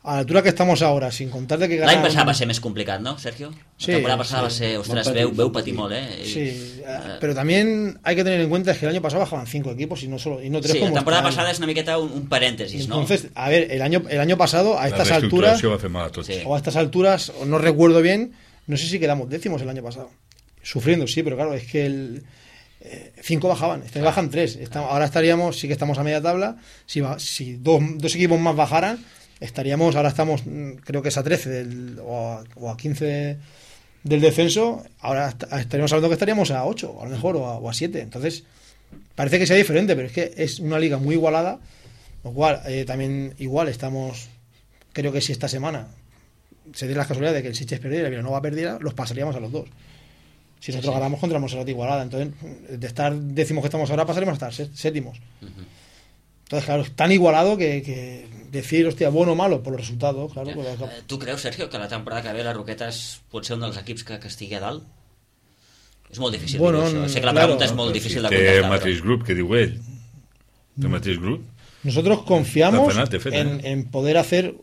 a la altura que estamos ahora, sin contar de que l'any passat va ser més complicat, ¿no, Sergio? Sí, la temporada pasada va ser, ostras, veu patir molt, ¿eh? Sí, pero también hay que tener en cuenta que el año pasado bajaban 5 equipos y no 3 sí, como la temporada pasada es una miqueta un paréntesis, ¿no? Entonces, a ver, el año pasado a estas alturas va a fer mal a tots. Sí. o a estas alturas, no recuerdo bien, no sé si quedamos décimos el año pasado. Sufriendo, sí, pero claro, es que 5 bajaban, bajan 3. Ahora estaríamos, sí que estamos a media tabla. Si dos equipos más bajaran, ahora estamos, creo que es a 13 o a 15 del descenso. Ahora estaríamos hablando que estaríamos a 8, a lo mejor, o a 7. Entonces, parece que sea diferente, pero es que es una liga muy igualada. Lo cual, también igual estamos, creo que si esta semana se dé la casualidad de que el Sitges perdiera y el Vilanova perdiera, los pasaríamos a los dos. Si nosotros ganamos contra Montserrat Igualada, entonces de estar décimos que estamos ahora pasaremos a estar séptimos. Entonces, claro, es tan igualado que decir, hostia, bueno o malo por los resultados, claro. Tu creus, Sergio, que la temporada que ve la Roquetes pot ser un dels equips que estigui a dalt? És molt difícil dir això. Sé que la pregunta és molt difícil de contestar. Té mateix grup, que diu ell. Té mateix grup. Nosotros confiamos en poder hacer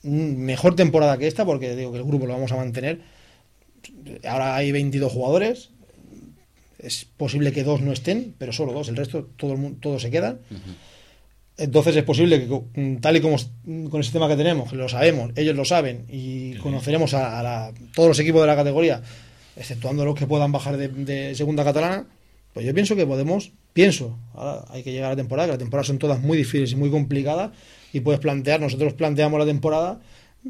mejor temporada que esta, porque digo que el grupo lo vamos a mantener. Ahora hay 22 jugadores, es posible que 2 no estén, pero solo 2, el resto todos se quedan. Entonces es posible que, tal y como con el sistema que tenemos, que lo sabemos, ellos lo saben y conoceremos a todos los equipos de la categoría, exceptuando los que puedan bajar de segunda catalana, pues yo pienso que ahora hay que llegar a la temporada, que las temporadas son todas muy difíciles y muy complicadas, y nosotros planteamos la temporada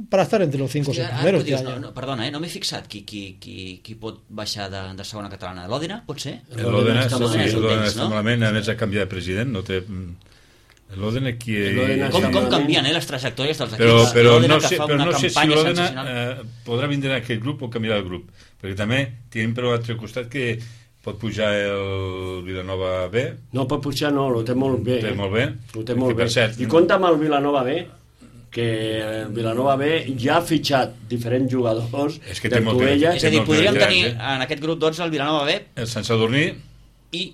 para estar entre los 5 o 6 primeros. Perdona, no m'he fixat qui pot baixar de segona catalana. L'Òdena, pot ser? L'Òdena està malament, a més ha canviat de president, no té... L'Òdena qui... Com canvien les trajectòries dels equips? Però no sé si l'Òdena podrà vindre en aquest grup o canviarà el grup, perquè també tenim per l'altre costat que pot pujar el Vilanova B. No pot pujar, no, ho té molt bé. Ho té molt bé. I compta amb el Vilanova B, que el Vilanova B ja ha fitxat diferents jugadors del Tuella. És a dir, podríem tenir en aquest grup 12 el Vilanova B, el Sant Sadurní i...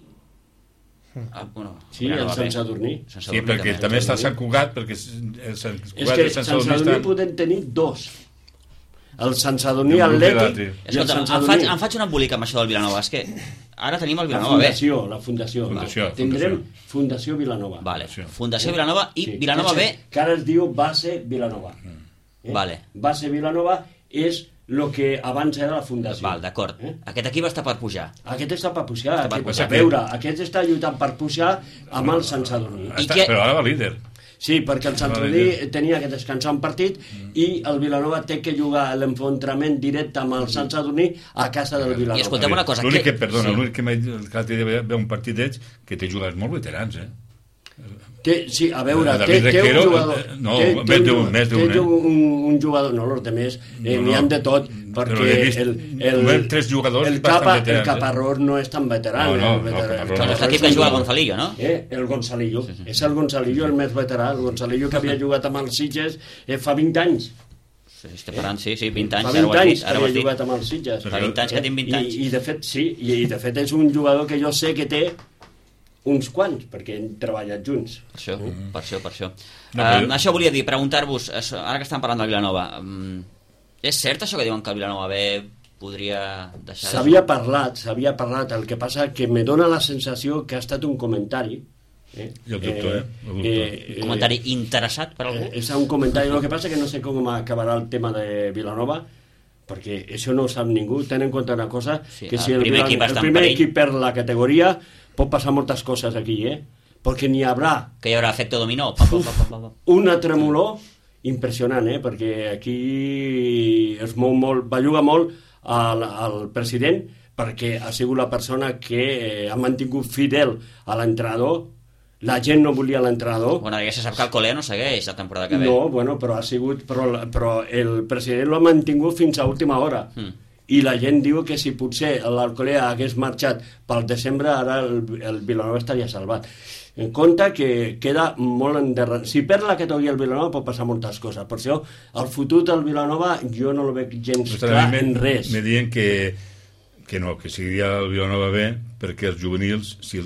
Sí, el Sant Sadurní. Sí, perquè també està Sant Cugat, perquè el Sant Cugat i el Sant Sadurní poden tenir 2. El Sant Sadurní Atlètic i el Sant Sadurní. Em faig un embolic amb això del Vilanova, és que ara tenim el Vilanova B. La Fundació. Tindrem Fundació Vilanova. Vale. Fundació Vilanova i Vilanova B... Que ara es diu Base Vilanova. Vale. Base Vilanova és el que abans era la Fundació. Val, d'acord. Aquest equip està per pujar. Aquest està per pujar. A veure, aquest està lluitant per pujar amb el Sant Sadurní. Però ara va líder. Sí, perquè el Sant Sadurní tenia que descansar un partit i el Vilanova té que jugar l'enfrontament directe amb el Sant Sadurní a casa del Vilanova. I escolteu una cosa... L'únic que m'ha dit ve un partit d'ells que té jugadors molt veterans, Sí, a veure, té un jugador... No, més d'un, un jugador, no, els demés n'hi han de tot, perquè el 3 jugadors el Caparrós no és tan veterà. És l'equip que juga el Gonzalillo, no? El Gonzalillo, és el Gonzalillo el més veterà, el Gonzalillo que havia jugat amb els Sitges fa 20 anys. Sí, 20 anys. Fa 20 anys que havia jugat amb els Sitges. Fa 20 anys que tinc 20 anys. I de fet, sí, i de fet és un jugador que jo sé que té uns quants, perquè hem treballat junts. Per això. Això volia dir, preguntar-vos, ara que estan parlant del Vilanova, és cert això que diuen que el Vilanova B podria deixar... S'havia parlat, el que passa que me dóna la sensació que ha estat un comentari. Jo el dubto, un comentari interessat per algú? És un comentari, el que passa que no sé com acabarà el tema de Vilanova, perquè això no ho sap ningú. Ten en compte una cosa, que si el primer equip perd la categoria pot passar moltes coses aquí, perquè n'hi haurà... Que hi haurà efecte dominó. Una tremolor impressionant, perquè aquí es mou molt, belluga molt al president, perquè ha sigut la persona que ha mantingut fidel a l'entrenador. La gent no volia l'entrenador. Bueno, ja se sap que el Colea no segueix la temporada que ve. No, bueno, però ha sigut... Però el president l'ha mantingut fins a última hora. i la gent diu que si potser l'Alcolea hagués marxat pel desembre, ara el Vilanova estaria salvat. En compte que queda molt endarrerit. Si perd la categoria el Vilanova pot passar moltes coses. Per això el futur del Vilanova jo no el veig gens clar en res. Me diuen que no, que seguiria el Vilanova bé, perquè els juvenils, si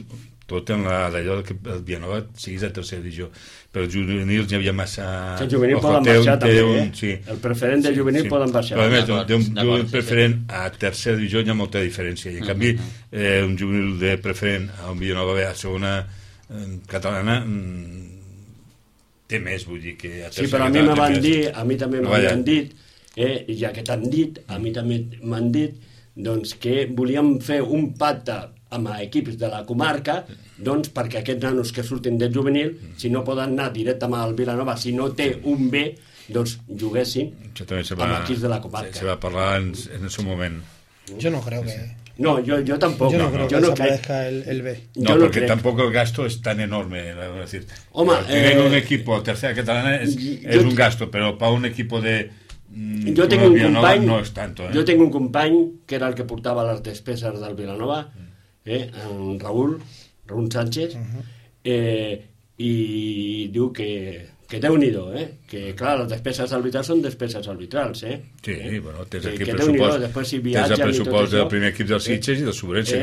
tot en d'allò que el Vilanova seguís a tercera divisió, però els juvenils hi havia massa... El juvenil poden baixar també, sí. El preferent del juvenil poden baixar. Però a més, d'un juvenil preferent a tercera divisió hi ha molta diferència, i en canvi un juvenil de preferent a un Vilanova bé a segona catalana té més, vull dir que a tercera. Sí, però a mi me van dir, a mi també m'han dit, ja que t'han dit, a mi també m'han dit, doncs que volíem fer un pacte amb equips de la comarca, doncs perquè aquests nanos que surtin del juvenil, si no poden anar directament al Vilanova, si no té un B, doncs juguessin amb equips de la comarca. Se va parlar en el seu moment. Jo no creo que... No, yo tampoco. Yo no creo que desaparezca el B. No, porque tampoco el gasto es tan enorme. Es decir, tener un equipo tercera catalana es un gasto, pero para un equipo de... Yo tengo un company, no es tanto. Jo tinc un company que era el que portava les despeses del Vilanova, en Raúl Sánchez, i diu que Déu-n'hi-do, que clar, les despeses arbitrals són despeses arbitrals, Sí, bueno, tens aquí el pressupost del primer equip del Sitges i del Sobrense, i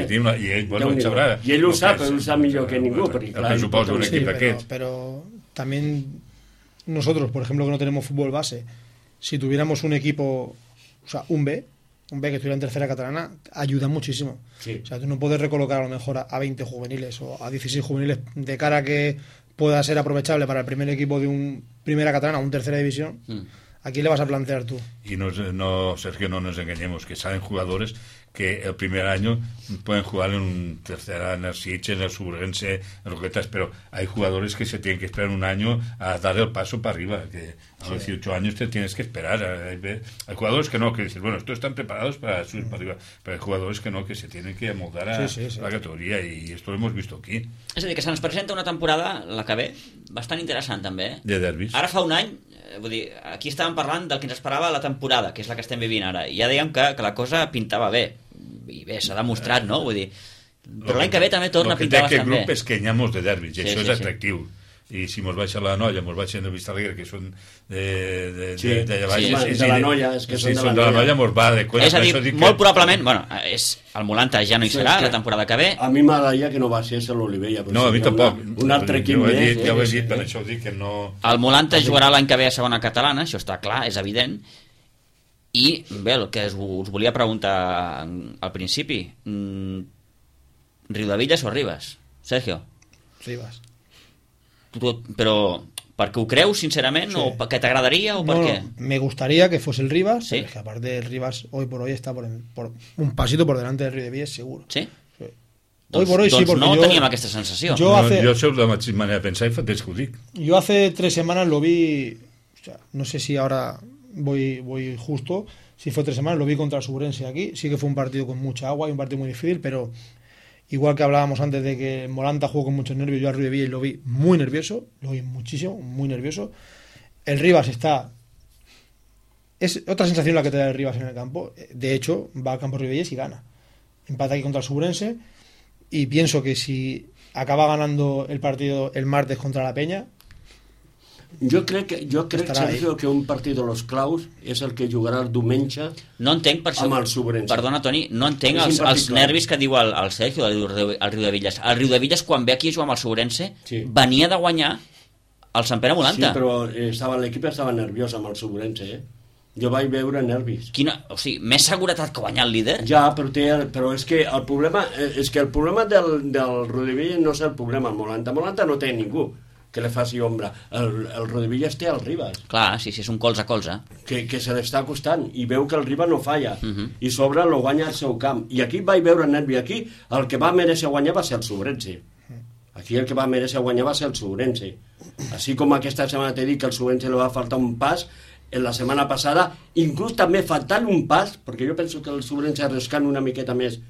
ell, bueno, en sabrà. I ell ho sap millor que ningú. El pressupost d'un equip d'aquests. Pero también nosotros, por ejemplo, que no tenemos fútbol base, si tuviéramos un equipo, o sea, un B que estuviera en tercera catalana, ayuda muchísimo. Sí. O sea, tú no puedes recolocar a lo mejor a 20 juveniles o a 16 juveniles de cara a que pueda ser aprovechable para el primer equipo de un primera catalana o un tercera división. ¿A quién le vas a plantear tú? Y no, Sergio, no nos engañemos, que salen jugadores que el primer año pueden jugar en un tercera, en el Sitges, en el Subrense, en Roquetas, pero hay jugadores que se tienen que esperar un año a dar el paso para arriba, que a los 18 años te tienes que esperar. Hay jugadores que no, que dicen, bueno, estos están preparados para subir para arriba, pero hay jugadores que no, que se tienen que amoldar a la categoría, y esto lo hemos visto aquí. És a dir, que se'ns presenta una temporada, la que ve, bastant interessant també. De derbis. Ara fa un any, vull dir, aquí estàvem parlant del que ens esperava la temporada, que és la que estem vivint ara, i ja dèiem que la cosa pintava bé, i bé, s'ha demostrat, no? Vull dir, però l'any que ve també torna a pintar bastant bé. El que té aquest grup és que n'hi ha molts de derbis, i això és atractiu. I si mos baixa la Noia, mos baixen el Vistalegre, que són d'allà baix. De la Noia, és que són de la Noia, mos va de cuenta. És a dir, molt probablement, bueno, el Molanta ja no hi serà la temporada que ve. A mi m'agradaria que no baixés l'Olivella. No, a mi tampoc. Un altre equip més. Ja ho he dit, per això ho dic que no... El Molanta jugarà l'any que ve a segona catalana, això està clar, és evident. I bé, el que us volia preguntar al principi, Riudevillas o Ribas? Sergio? Ribas. Però perquè ho creus sincerament, o perquè t'agradaria, o per qué? Me gustaría que fuese el Ribas, ¿sí? Que aparte el Ribas hoy por hoy está por un pasito por delante del Riudevillas seguro. Sí? Hoy por hoy sí, porque no teníem aquesta sensació. Jo soy de la mateixa manera de pensar, i fa temps que ho dic. Yo hace 3 semanas lo vi, o sea, no sé si ahora voy justo, si fue 3 semanas, lo vi contra el Subrense aquí, sí que fue un partido con mucha agua y un partido muy difícil, pero igual que hablábamos antes de que Molanta jugó con muchos nervios, yo a Riudevillas lo vi muy nervioso, lo vi muchísimo, muy nervioso. El Ribas es otra sensación la que te da el Ribas en el campo. De hecho, va al campo Riudevillas y gana. Empata aquí contra el Subrense, y pienso que si acaba ganando el partido el martes contra la Peña, jo crec, Sergio, que un partit de los claus és el que jugarà el diumenge amb el Sobrense. Perdona, Toni, no entenc els nervis que diu el Sergio al Riudevillas. El Riudevillas, quan ve aquí a jugar amb el Sobrense, venia de guanyar el Sant Pere Molanta. Sí, però l'equip estava nerviós amb el Sobrense, Jo vaig veure nervis. O sigui, més seguretat que guanyar el líder? Ja, però és que el problema del Riudevillas no és el problema. El Molanta no té ningú que li faci ombra. El Riudevillas té el Ribas. Clar, sí, és un colze a colze. Que se l'està acostant i veu que el Ribas no falla. I sobre lo guanya al seu camp. I aquí vaig veure nervi. Aquí el que va mereixer guanyar va ser el Sobrense. Aquí el que va mereixer guanyar va ser el Sobrense. Així com aquesta setmana t'he dit que el Sobrense li va faltar un pas, en la setmana passada, inclús també faltant un pas, perquè jo penso que el Sobrense arriscant una miqueta més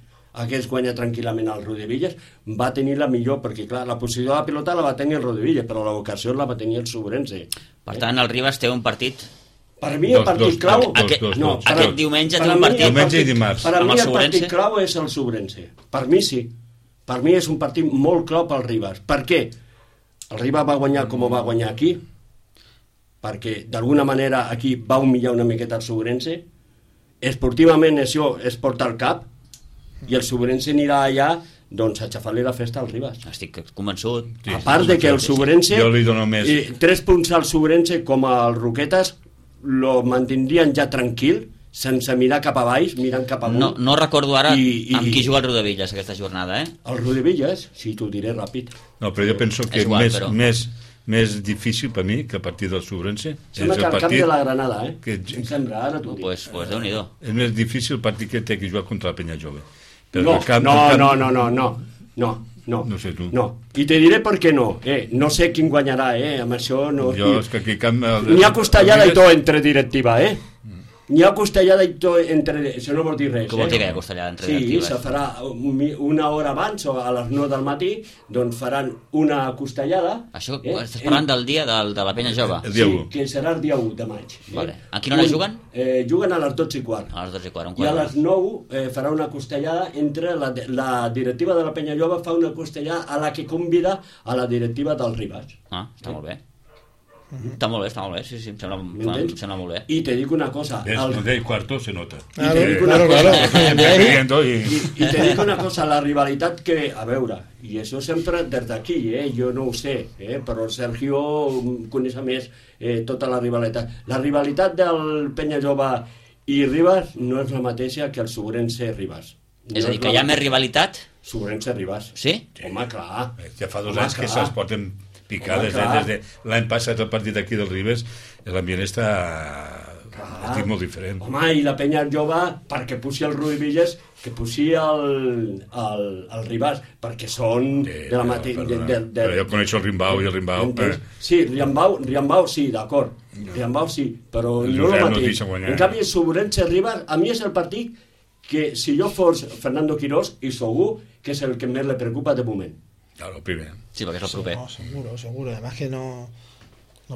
hagués guanyat tranquil·lament el Riudevillas, va tenir la millor, perquè clar, la posició de la pilota la va tenir el Riudevillas, però la vocació la va tenir el Sobrense. Per tant, el Ribas té un partit Per mi el partit clau... Aquest diumenge té un partit. Diumenge i dimarts. Per mi el partit clau és el Subrense. Per mi sí. Per mi és un partit molt clau pel Ribas. Per què? El Ribas va guanyar com va guanyar aquí, perquè d'alguna manera aquí va humillar una miqueta el Subrense. Esportivament això es porta al cap i el Subrense anirà allà doncs a xafar-li la festa al Ribas. Estic convençut. A part de que el Subrense... Jo li dono més. 3 punts al Subrense com al Roquetes lo mantindrien ja tranquil, sense mirar cap a baix, mirant cap amunt. No recordo ara amb qui juga el Rodevillas aquesta jornada, El Rodevillas, sí, t'ho diré ràpid. No, però jo penso que més difícil per mi que a partir del Subrense sembla que al cap de la Granada, em sembla, ara t'ho dic. Pues Déu-n'hi-do. És més difícil el partit que té que jugar contra la Penya Jove. No. No sé tu. No. I te diré per què no. No sé quin guanyarà, amb això no... Jo, és que aquí n'hi ha costellada i tot entre directiva, N'hi ha costellada i tot entre... Això no vol dir res, Com vol dir que hi ha costellada entre directives? Sí, se farà una hora abans o a les 9 del matí, doncs faran una costellada. Això estàs parlant del dia de la Penya Jove? Sí, que serà el dia 1 de maig. Vale. A quina hora juguen? Juguen a les 12:15. A les 12:15, I a les 9 farà una costellada entre la directiva de la Penya Jove, fa una costellada a la que convida a la directiva del Ribas. Està molt bé. Està molt bé, sí, em sembla molt bé. I te dic una cosa... El cuarto se nota. I te dic una cosa, la rivalitat que... A veure, i això sempre des d'aquí, jo no ho sé, però Sergio coneix més tota la rivalitat. La rivalitat del Penya Jove i Ribas no és la mateixa que el Subrense-Ribas. És a dir, que hi ha més rivalitat? Subrense-Ribas. Sí? Home, clar. Ja fa 2 anys que se'ls porten picades, des de l'any passat el partit aquí del Ribes, l'ambient està molt diferent. Home, i la Penya Jove, perquè puixi el Rodevillas, que puixi el Ribas, perquè són de la mateixa... Però jo coneixo el Rimbau i el Rimbau... Sí, Riambau sí, d'acord. Riambau sí, però no el mateix. En canvi, Subrense-Ribas, a mi és el partit que si jo fos Fernando Quirós, i segur que és el que més le preocupa de moment. Claro, el primer. Sí, porque es el proper. No, seguro. Además que no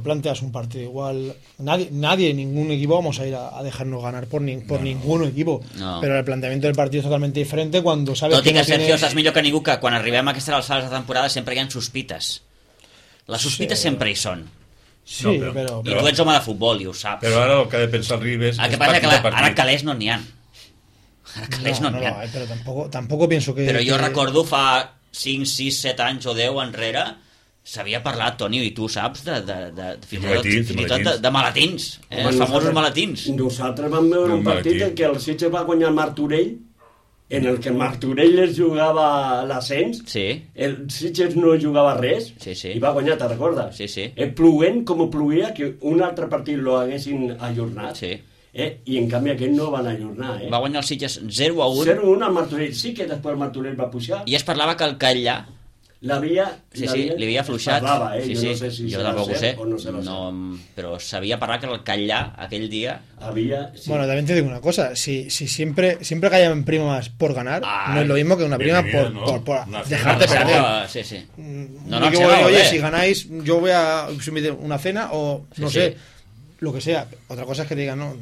planteas un partido igual. Nadie, ningún equipo vamos a ir a dejarnos ganar por ningún equipo. No. Pero el planteamiento del partido es totalmente diferente cuando sabes que Sergio, saps millor que ningú que quan arribem a aquestes alçades de temporada sempre hi ha sospites. Les sospites sempre hi són. Sí, però... I tu ets home de futbol i ho saps. Però ara el que ha de pensar el Ribes... El que passa que ara calés no n'hi ha. Pero tampoco pienso que... Però jo recordo fa 5, 6, 7 anys o 10 enrere s'havia parlat, Toni, i tu saps fins i tot de malatins, els famosos malatins. Nosaltres vam veure un partit en què el Sitges va guanyar el Martorell, en el que Martorell es jugava l'ascens, el Sitges no jugava res i va guanyar, te'n recordes? Plovent com plovia, que un altre partit lo haguessin ajornat. I en canvi aquest no van ajornar. Va guanyar el Sitges 0-1. 0-1 al Martorell. Sí que després el Martorell va pujar. I es parlava que el Catllà li havia afluixat. Parlava, jo no sé si jo tampoc ho sé. No, però s'havia parlat que el Catllà aquell dia había... Bueno, también te digo una cosa, si siempre que hayan primas por ganar, no es lo mismo que una prima por dejarte perder. Oye, si ganáis yo voy a subir una cena o no sé, lo que sea. Otra cosa es que te digan, no,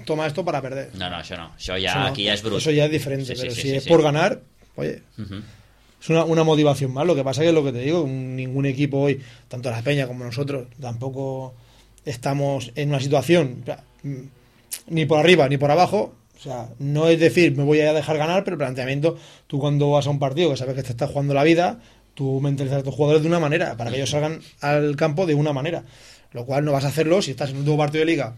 toma esto para perder. No, això no. Això ja, aquí ya es brut. Eso ya es diferente, pero si es por ganar, oye... Es una motivación más. Lo que pasa que es lo que te digo, ningún equipo hoy, tanto la Peña como nosotros, tampoco estamos en una situación ni por arriba ni por abajo. O sea, no es decir, me voy a dejar ganar, pero el planteamiento, tú cuando vas a un partido que sabes que te estás jugando la vida, tú mentalizas a tus jugadores de una manera, para que ellos salgan al campo de una manera. Lo cual no vas a hacerlo si estás en el último partido de Liga,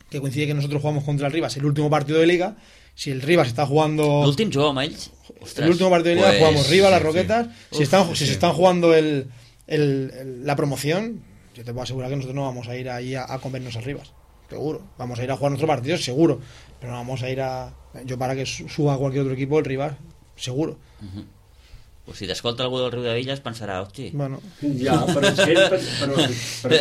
que coincide que nosotros jugamos contra el Rivas, el último partido de Liga. Si el Rivas está jugando... L'últim juego amb ells? El último partido de Liga jugamos Rivas, las Roquetas. Si se están jugando la promoción, yo te puedo asegurar que nosotros no vamos a ir ahí a comernos a Rivas. Seguro. Vamos a ir a jugar nuestro partido, seguro. Pero no vamos a ir a... Yo para que suba cualquier otro equipo, el Rivas, seguro. Pues si t'escolta algú del Riudevillas pensarà, hosti... Bueno. Ja, però és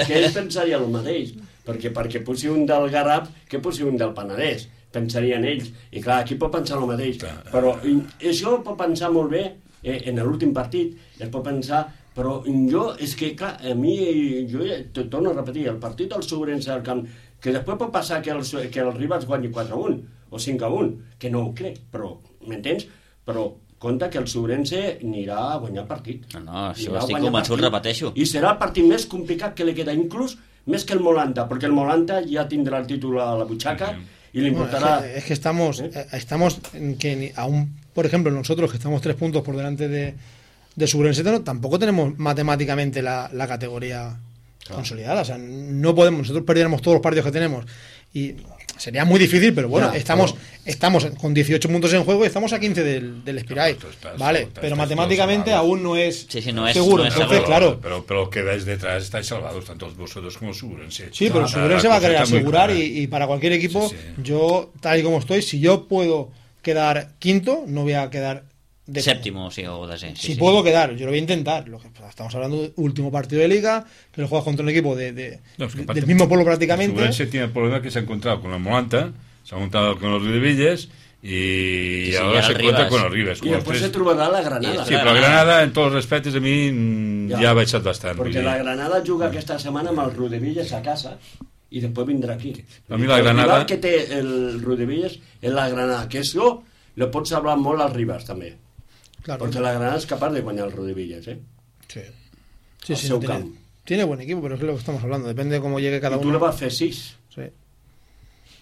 que ell pensaria el mateix. Perquè posi un del Garraf que posi un del Penedès. Pensarien ells. I clar, aquí pot pensar el mateix. Però això pot pensar molt bé en l'últim partit, es pot pensar, però jo, és que, clar, a mi, jo torno a repetir, el partit del Sobrense al camp, que després pot passar que el Ribas guanyi 4-1 o 5-1, que no ho crec, però, m'entens? Però compte que el Sobrense anirà a guanyar el partit. No, això estic convençut, repeteixo. I serà el partit més complicat que li queda, inclús més que el Molanta, perquè el Molanta ja tindrà el títol a la butxaca y le importará... Bueno, es que estamos que aún, por ejemplo, nosotros que estamos 3 puntos por delante de Subrense, tampoco tenemos matemáticamente la categoría consolidada. O sea, no podemos, nosotros perdiéramos todos los partidos que tenemos y sería muy difícil, pero bueno, estamos con 18 puntos en juego y estamos a 15 del Espirai, vale, pero matemáticamente aún no es seguro. Entonces, claro, pero que veis detrás estáis salvados, tanto vosotros como Subrense. Sí, pero Subrense va a querer asegurar y para cualquier equipo, yo, tal y como estoy, si yo puedo quedar quinto, no voy a quedar séptimo, sí, o descenso. Si puedo quedar, yo lo voy a intentar. Estamos hablando del último partido de liga, que lo juegas contra un equipo del mismo pueblo prácticamente. Subrense tiene el problema que se ha encontrado con el Molanta, se ha encontrado con los Riudevilles y ahora se encuentra con los Ribes. Y después se trobará la Granada. Sí, pero la Granada, en todos los respectos, a mí ya ha baixat bastant. Porque la Granada juga aquesta setmana amb el Riudevilles a casa y después vendrá aquí. A mí la Granada... El que té el Riudevilles és la Granada, que això lo pots hablar molt als Ribes també. Claro. Porque la Granada es capaz de ganar el Riudevilles, ¿eh? Sí, tiene buen equipo, pero es lo que estamos hablando. Depende de cómo llegue cada uno. Y tú le vas a hacer 6. Sí.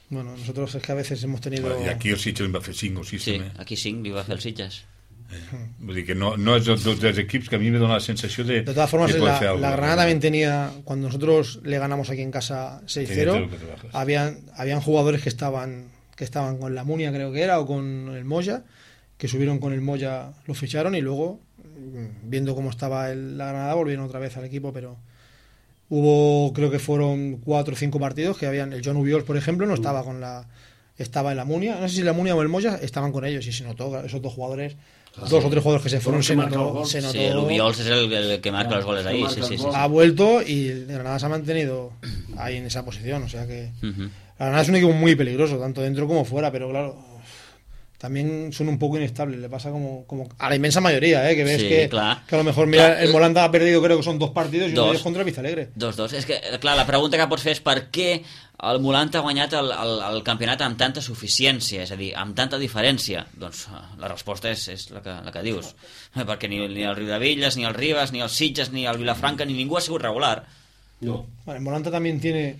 Bueno, nosotros es que a veces hemos tenido... I aquí el Sitges en va fer 5 o 6 sí, també. Aquí 5 li va fer el Sitges. Vull dir que no és dels equips que a mí me dona la sensació de... De todas formas, la Granada también tenía... Cuando nosotros le ganamos aquí en casa 6-0, habían jugadores que estaban con la Munia, creo que era, o con el Moya, que subieron con el Moya, lo ficharon y luego, viendo cómo estaba la Granada, volvieron otra vez al equipo, pero hubo, creo que fueron 4 o 5 partidos que habían, el John Ubiols, por ejemplo, no estaba estaba en la Munia, no sé si la Munia o el Moya estaban con ellos y se notó, esos dos jugadores, 2 o 3 jugadores que se fueron, se notó. Sí, el Ubiols es el que marca los goles ahí, sí. Ha vuelto y el Granada se ha mantenido ahí en esa posición, o sea que la Granada es un equipo muy peligroso, tanto dentro como fuera, pero claro, también son un poco inestables, le pasa como a la inmensa mayoría, que ves que a lo mejor, mira, el Molanda ha perdido, creo que son 2 partidos y uno es contra el Vistalegre. 2-2, és que, clar, la pregunta que pots fer és per què el Molanta ha guanyat el campionat amb tanta suficiència, és a dir, amb tanta diferència. Doncs la resposta és la que dius, perquè ni el Riudevilles, ni el Ribas, ni el Sitges, ni el Vilafranca, ni ningú ha sigut regular. No. Bueno, el Molanta también tiene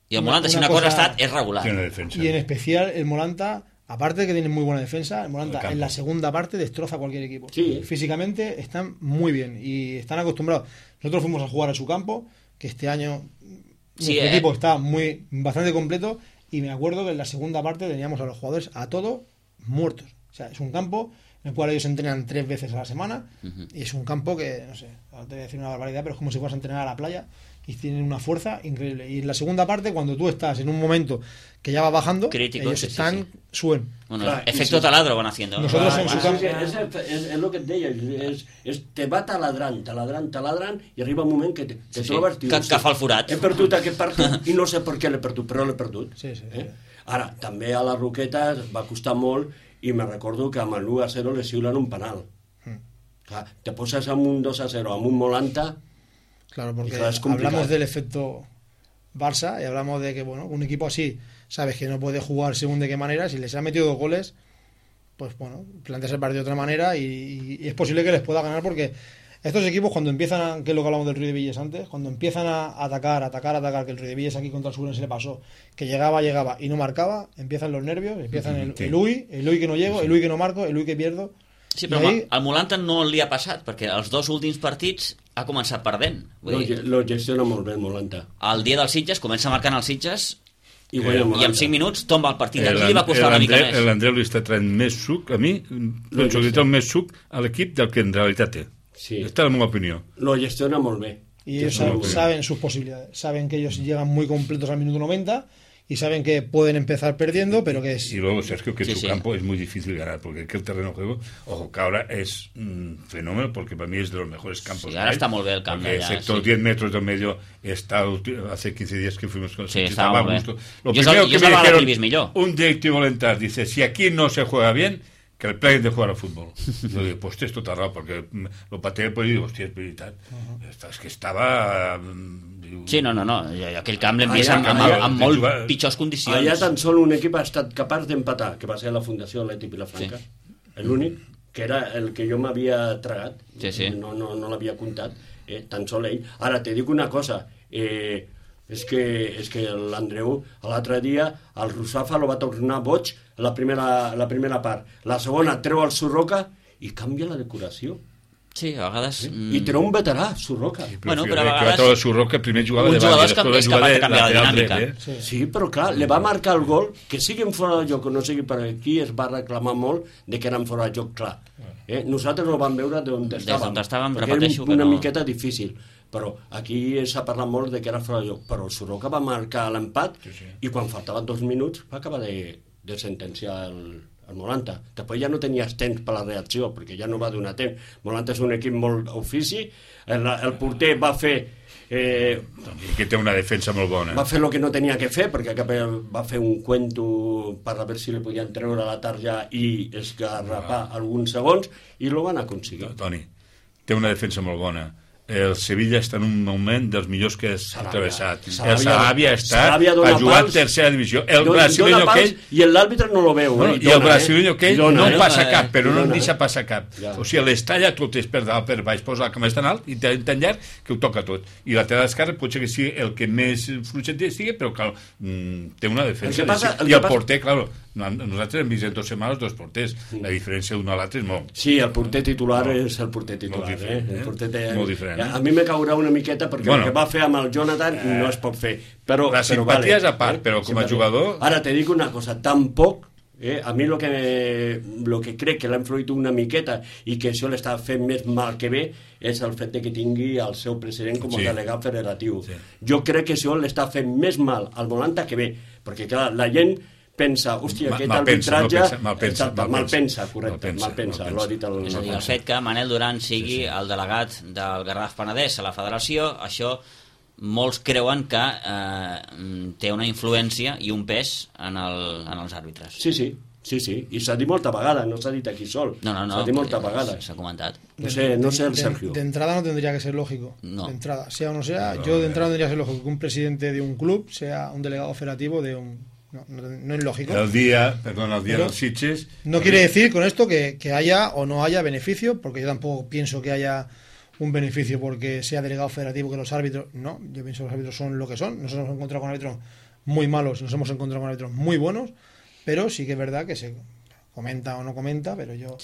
y el Molanta, si una cosa ha estat, és regular. Y en especial el Molanta, aparte de que tiene muy buena defensa, el Molanta en la segunda parte destroza a cualquier equipo. Sí. Físicamente están muy bien y están acostumbrados. Nosotros fuimos a jugar a su campo, que este año nuestro equipo está bastante completo, y me acuerdo que en la segunda parte teníamos a los jugadores a todos muertos. O sea, es un campo en el cual ellos entrenan 3 veces a la semana y es un campo que, no sé, ahora te voy a decir una barbaridad, pero es como si fueras a entrenar a la playa y tienen una fuerza increíble. Y en la segunda parte, cuando tú estás en un momento que ya va bajando, crítico, ellos suben. Bueno, claro, efecto taladro van haciendo. Nosotros en su campo... És el que et deia, te va taladrant, i arriba un moment que te trobes... Que fa el forat. He perdut aquest partit i no sé per què l'he perdut, però l'he perdut. Sí. Ara, també a la Roqueta va costar molt i me recordo que amb el 1-0 le xiulen un penal. Clar, te poses amb un 2-0, amb un Molanta... Claro, porque hablamos del efecto Barça y hablamos de que, bueno, un equipo así, sabes que no puede jugar según de qué manera, si les ha metido 2 goles, pues bueno, planteas el partido de otra manera y es posible que les pueda ganar, porque estos equipos cuando empiezan, que es lo que hablamos del Riudevilles antes, cuando empiezan a atacar, que el Riudevilles aquí contra el Subrense le pasó, que llegaba y no marcaba, empiezan los nervios, empiezan el UI que no llego, el UI que no marco, el UI que pierdo. Sí, però al Molanta no li ha passat, perquè els 2 últims partits ha començat perdent. Lo gestiona molt bé el Molanta. El dia dels Sitges comença marcant els Sitges i en 5 minuts tomba el partit. Aquí li va costar una mica més. L'Andreu li està traient més suc, a mi, penso que té més suc a l'equip del que en realitat té. Sí. Esta es la meva opinió. Lo gestiona molt bé. Y ellos saben sus posibilidades, saben que ellos llegan muy completos al minuto 90 y saben que pueden empezar perdiendo, pero que es... Y luego, Sergio, que en su campo es muy difícil ganar, porque aquí el terreno de juego, ojo, que ahora es un fenómeno, porque para mí es de los mejores campos. Sí, ahora está muy bien el campo. Excepto 10 metros del medio, hace 15 días que fuimos con el Sitges, estaba muy bien. Lo primero que me dijeron, un directivo Lentar, dice, si aquí no se juega bien, que el pleguen de jugar al fútbol. Jo dic, pues tens tota raó, perquè el paté pues, diu, hòstia, és veritat. És que estava... Sí, no. Aquell camp l'hem vist amb molt pitjors condicions. Allà tan sol un equip ha estat capaç d'empatar, que va ser la Fundació Atlètic Vilafranca. Sí. L'únic, que era el que jo m'havia tragat. Sí. No l'havia comptat. Tan sol ell. Ara, te dic una cosa. És que l'Andreu, l'altre dia, el Rusafa lo va tornar boig la primera part. La segona treu el Surroca i canvia la decoració. Sí, a vegades... I treu un veterà, Surroca. Bueno, però a vegades... El Surroca primer jugava un davant, jugador és capaç de canviar la dinàmica. Sí, però clar, li va marcar el gol, que siguin fora de joc o no sigui, per aquí es va reclamar molt de que eren fora de joc, clar. Nosaltres no vam veure d'on estàvem. Perquè era una miqueta difícil. Però aquí s'ha parlat molt de que era fora de joc. Però el Surroca va marcar l'empat i quan faltaven 2 minuts va acabar de sentenciar el Molanta. Després ja no tenies temps per la reacció, perquè ja no va donar temps. Molanta és un equip molt ofici. El porter va fer... que té una defensa molt bona. Va fer el que no tenia que fer, perquè va fer un cuento per a veure si li podien treure la tarja i esgarrapar alguns segons, i lo van aconseguir. Toni, té una defensa molt bona. El Sevilla està en un moment dels millors que s'ha travessat. El Sarabia ha jugat tercera divisió. El brasileño aquell... I l'àrbitre no lo veu. I el brasileño aquell no passa cap, però no en deixa passar cap. O sigui, les talla totes per dalt, per baix, posa la cama tan alt i tan llarg que ho toca tot. I la lateral esquerra potser que sigui el que més fluixet sigui, però clar, té una defensa. I el porter, clar, nosaltres hem vist en 2 setmanes 2 porters. La diferència d'un a l'altre és molt... Sí, el porter titular és el porter titular. Molt diferent. A mi me caurà una miqueta perquè el que va fer amb el Jonathan no es pot fer. La simpatia és a part, però com a jugador... Ara te dic una cosa, tampoc a mi lo que crec que l'ha influït una miqueta i que això l'està fent més mal que bé és el fet que tingui el seu president com a delegat federatiu. Jo crec que això l'està fent més mal al Molanta que bé, perquè clar, la gent pensa, hòstia, aquest arbitratge... Malpensa, correcte, malpensa, l'ho ha dit el... És a dir, el fet que Manel Duran sigui el delegat del Garraf Penedès a la federació, això molts creuen que té una influència i un pes en els àrbitres. Sí, i s'ha dit molta vegada, no s'ha dit aquí sol. No, s'ha dit molta vegada. S'ha comentat. No sé el Sergio. De entrada no tendría que ser lógico. No. De entrada, sea o no sea, yo de entrada no tendría que ser lógico que un presidente de un club sea un delegado federativo de un... No es lógico. El día de los Sitges... No quiere decir con esto que haya o no haya beneficio, porque yo tampoco pienso que haya un beneficio porque sea delegado federativo, que los árbitros... No, yo pienso que los árbitros son lo que son. Nosotros nos hemos encontrado con árbitros muy malos, nos hemos encontrado con árbitros muy buenos, pero sí que es verdad que se comenta o no comenta, pero yo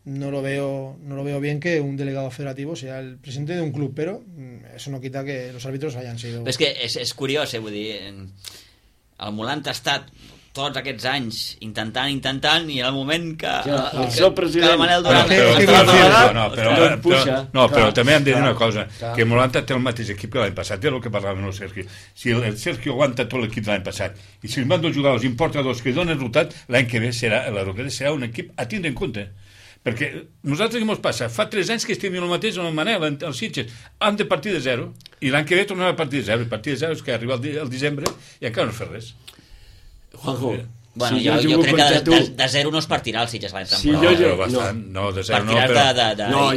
no lo veo bien que un delegado federativo sea el presidente de un club, pero eso no quita que los árbitros hayan sido... Però és que és curiós, vull dir... El Molanta ha estat tots aquests anys intentant i en el moment que el Manel Duran però també hem de dir una cosa, que Molanta té el mateix equip que l'any passat, és el que parlàvem el Sergio. Si el Sergio aguanta tot l'equip de l'any passat i si els van 2 jugadors importa 2 que donen resultat, l'any que ve la Roqueta serà un equip a tindre en compte. Perquè nosaltres què ens passa? Fa 3 anys que estem el mateix amb el Manel, els Sitges. Han de partir de 0. I l'any que ve tornem a partir de 0. I partir de 0 és que arriba el desembre i encara no fer res. Juanjo, bueno, jo crec que de 0 no es partirà el Sitges l'any temporada. No, de 0 no, però...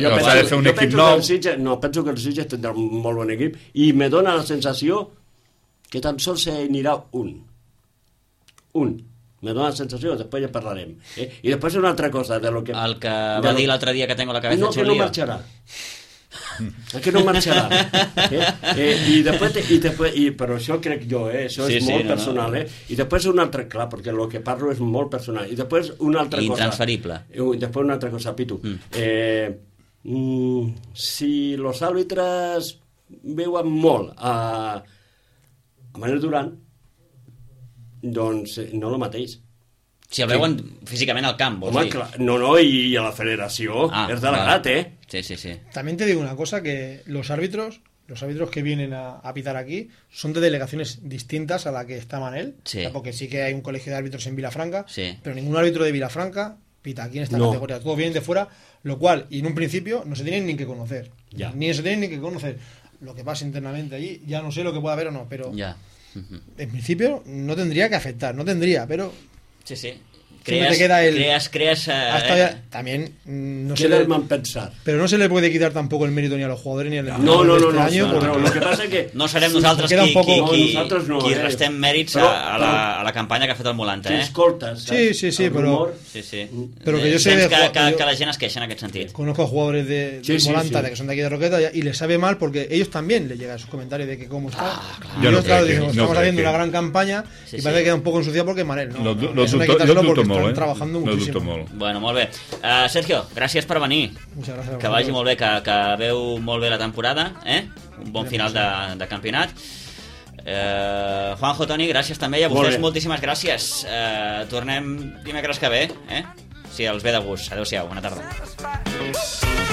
jo penso de fer un equip nou. Penso que el Sitges tindrà un molt bon equip i me dona la sensació que tan sols se anirà un. Me dona la sensació, després ja parlarem. I després una altra cosa de lo que... El que va dir l'altre dia que tengo la cabeza hecho lío. No, que no marxarà. Que no marxarà. I després, però això crec jo, això és molt personal. I després una altra, clar, perquè el que parlo és molt personal. I després una altra cosa. Intransferible. I després una altra cosa, Pitu. Si los àrbitres veuen molt a Manel Duran, doncs no el mateix. Si el veuen físicament al camp, vols dir? No, y a la federació és delegat, Sí. También te digo una cosa, que los árbitros que vienen a pitar aquí son de delegaciones distintas a la que está Manel, porque sí que hay un colegio de árbitros en Vilafranca, pero ningún árbitro de Vilafranca pita aquí en esta categoría, todos vienen de fuera, lo cual, y en un principio, no se tienen ni que conocer, lo que pasa internamente allí, ya no sé lo que pueda haber o no, pero en principio no tendría que afectar, pero... Sí. también no queda el mal pensar. Pero no se le puede quitar tampoco el mérito ni a los jugadores ni al entrenador este año. Lo que pasa es que no serem nosaltres qui restem mèrits a la campanya que ha fet el Molanta. Escoltes, sí, pero que yo sé que la gent es queixa en aquest sentit. Conozco a jugadores de Molanta que son de aquí de Roqueta y les sabe mal porque ellos también les llegan sus comentarios de que cómo está. Estamos haciendo una gran campaña y parece que queda un poco ensuciado porque Manel, ¿no? Eso no hay que quitárselo porque están trabajando muchísimo. Bueno, molt bé. Sergio, gràcies per venir. Que vagi molt bé, que veu molt bé la temporada, un bon final de campionat. Juanjo, Toni, gràcies també, i a vostès moltíssimes gràcies. Tornem dimecres que ve, si els ve de gust. Adéu-siau, bona tarda.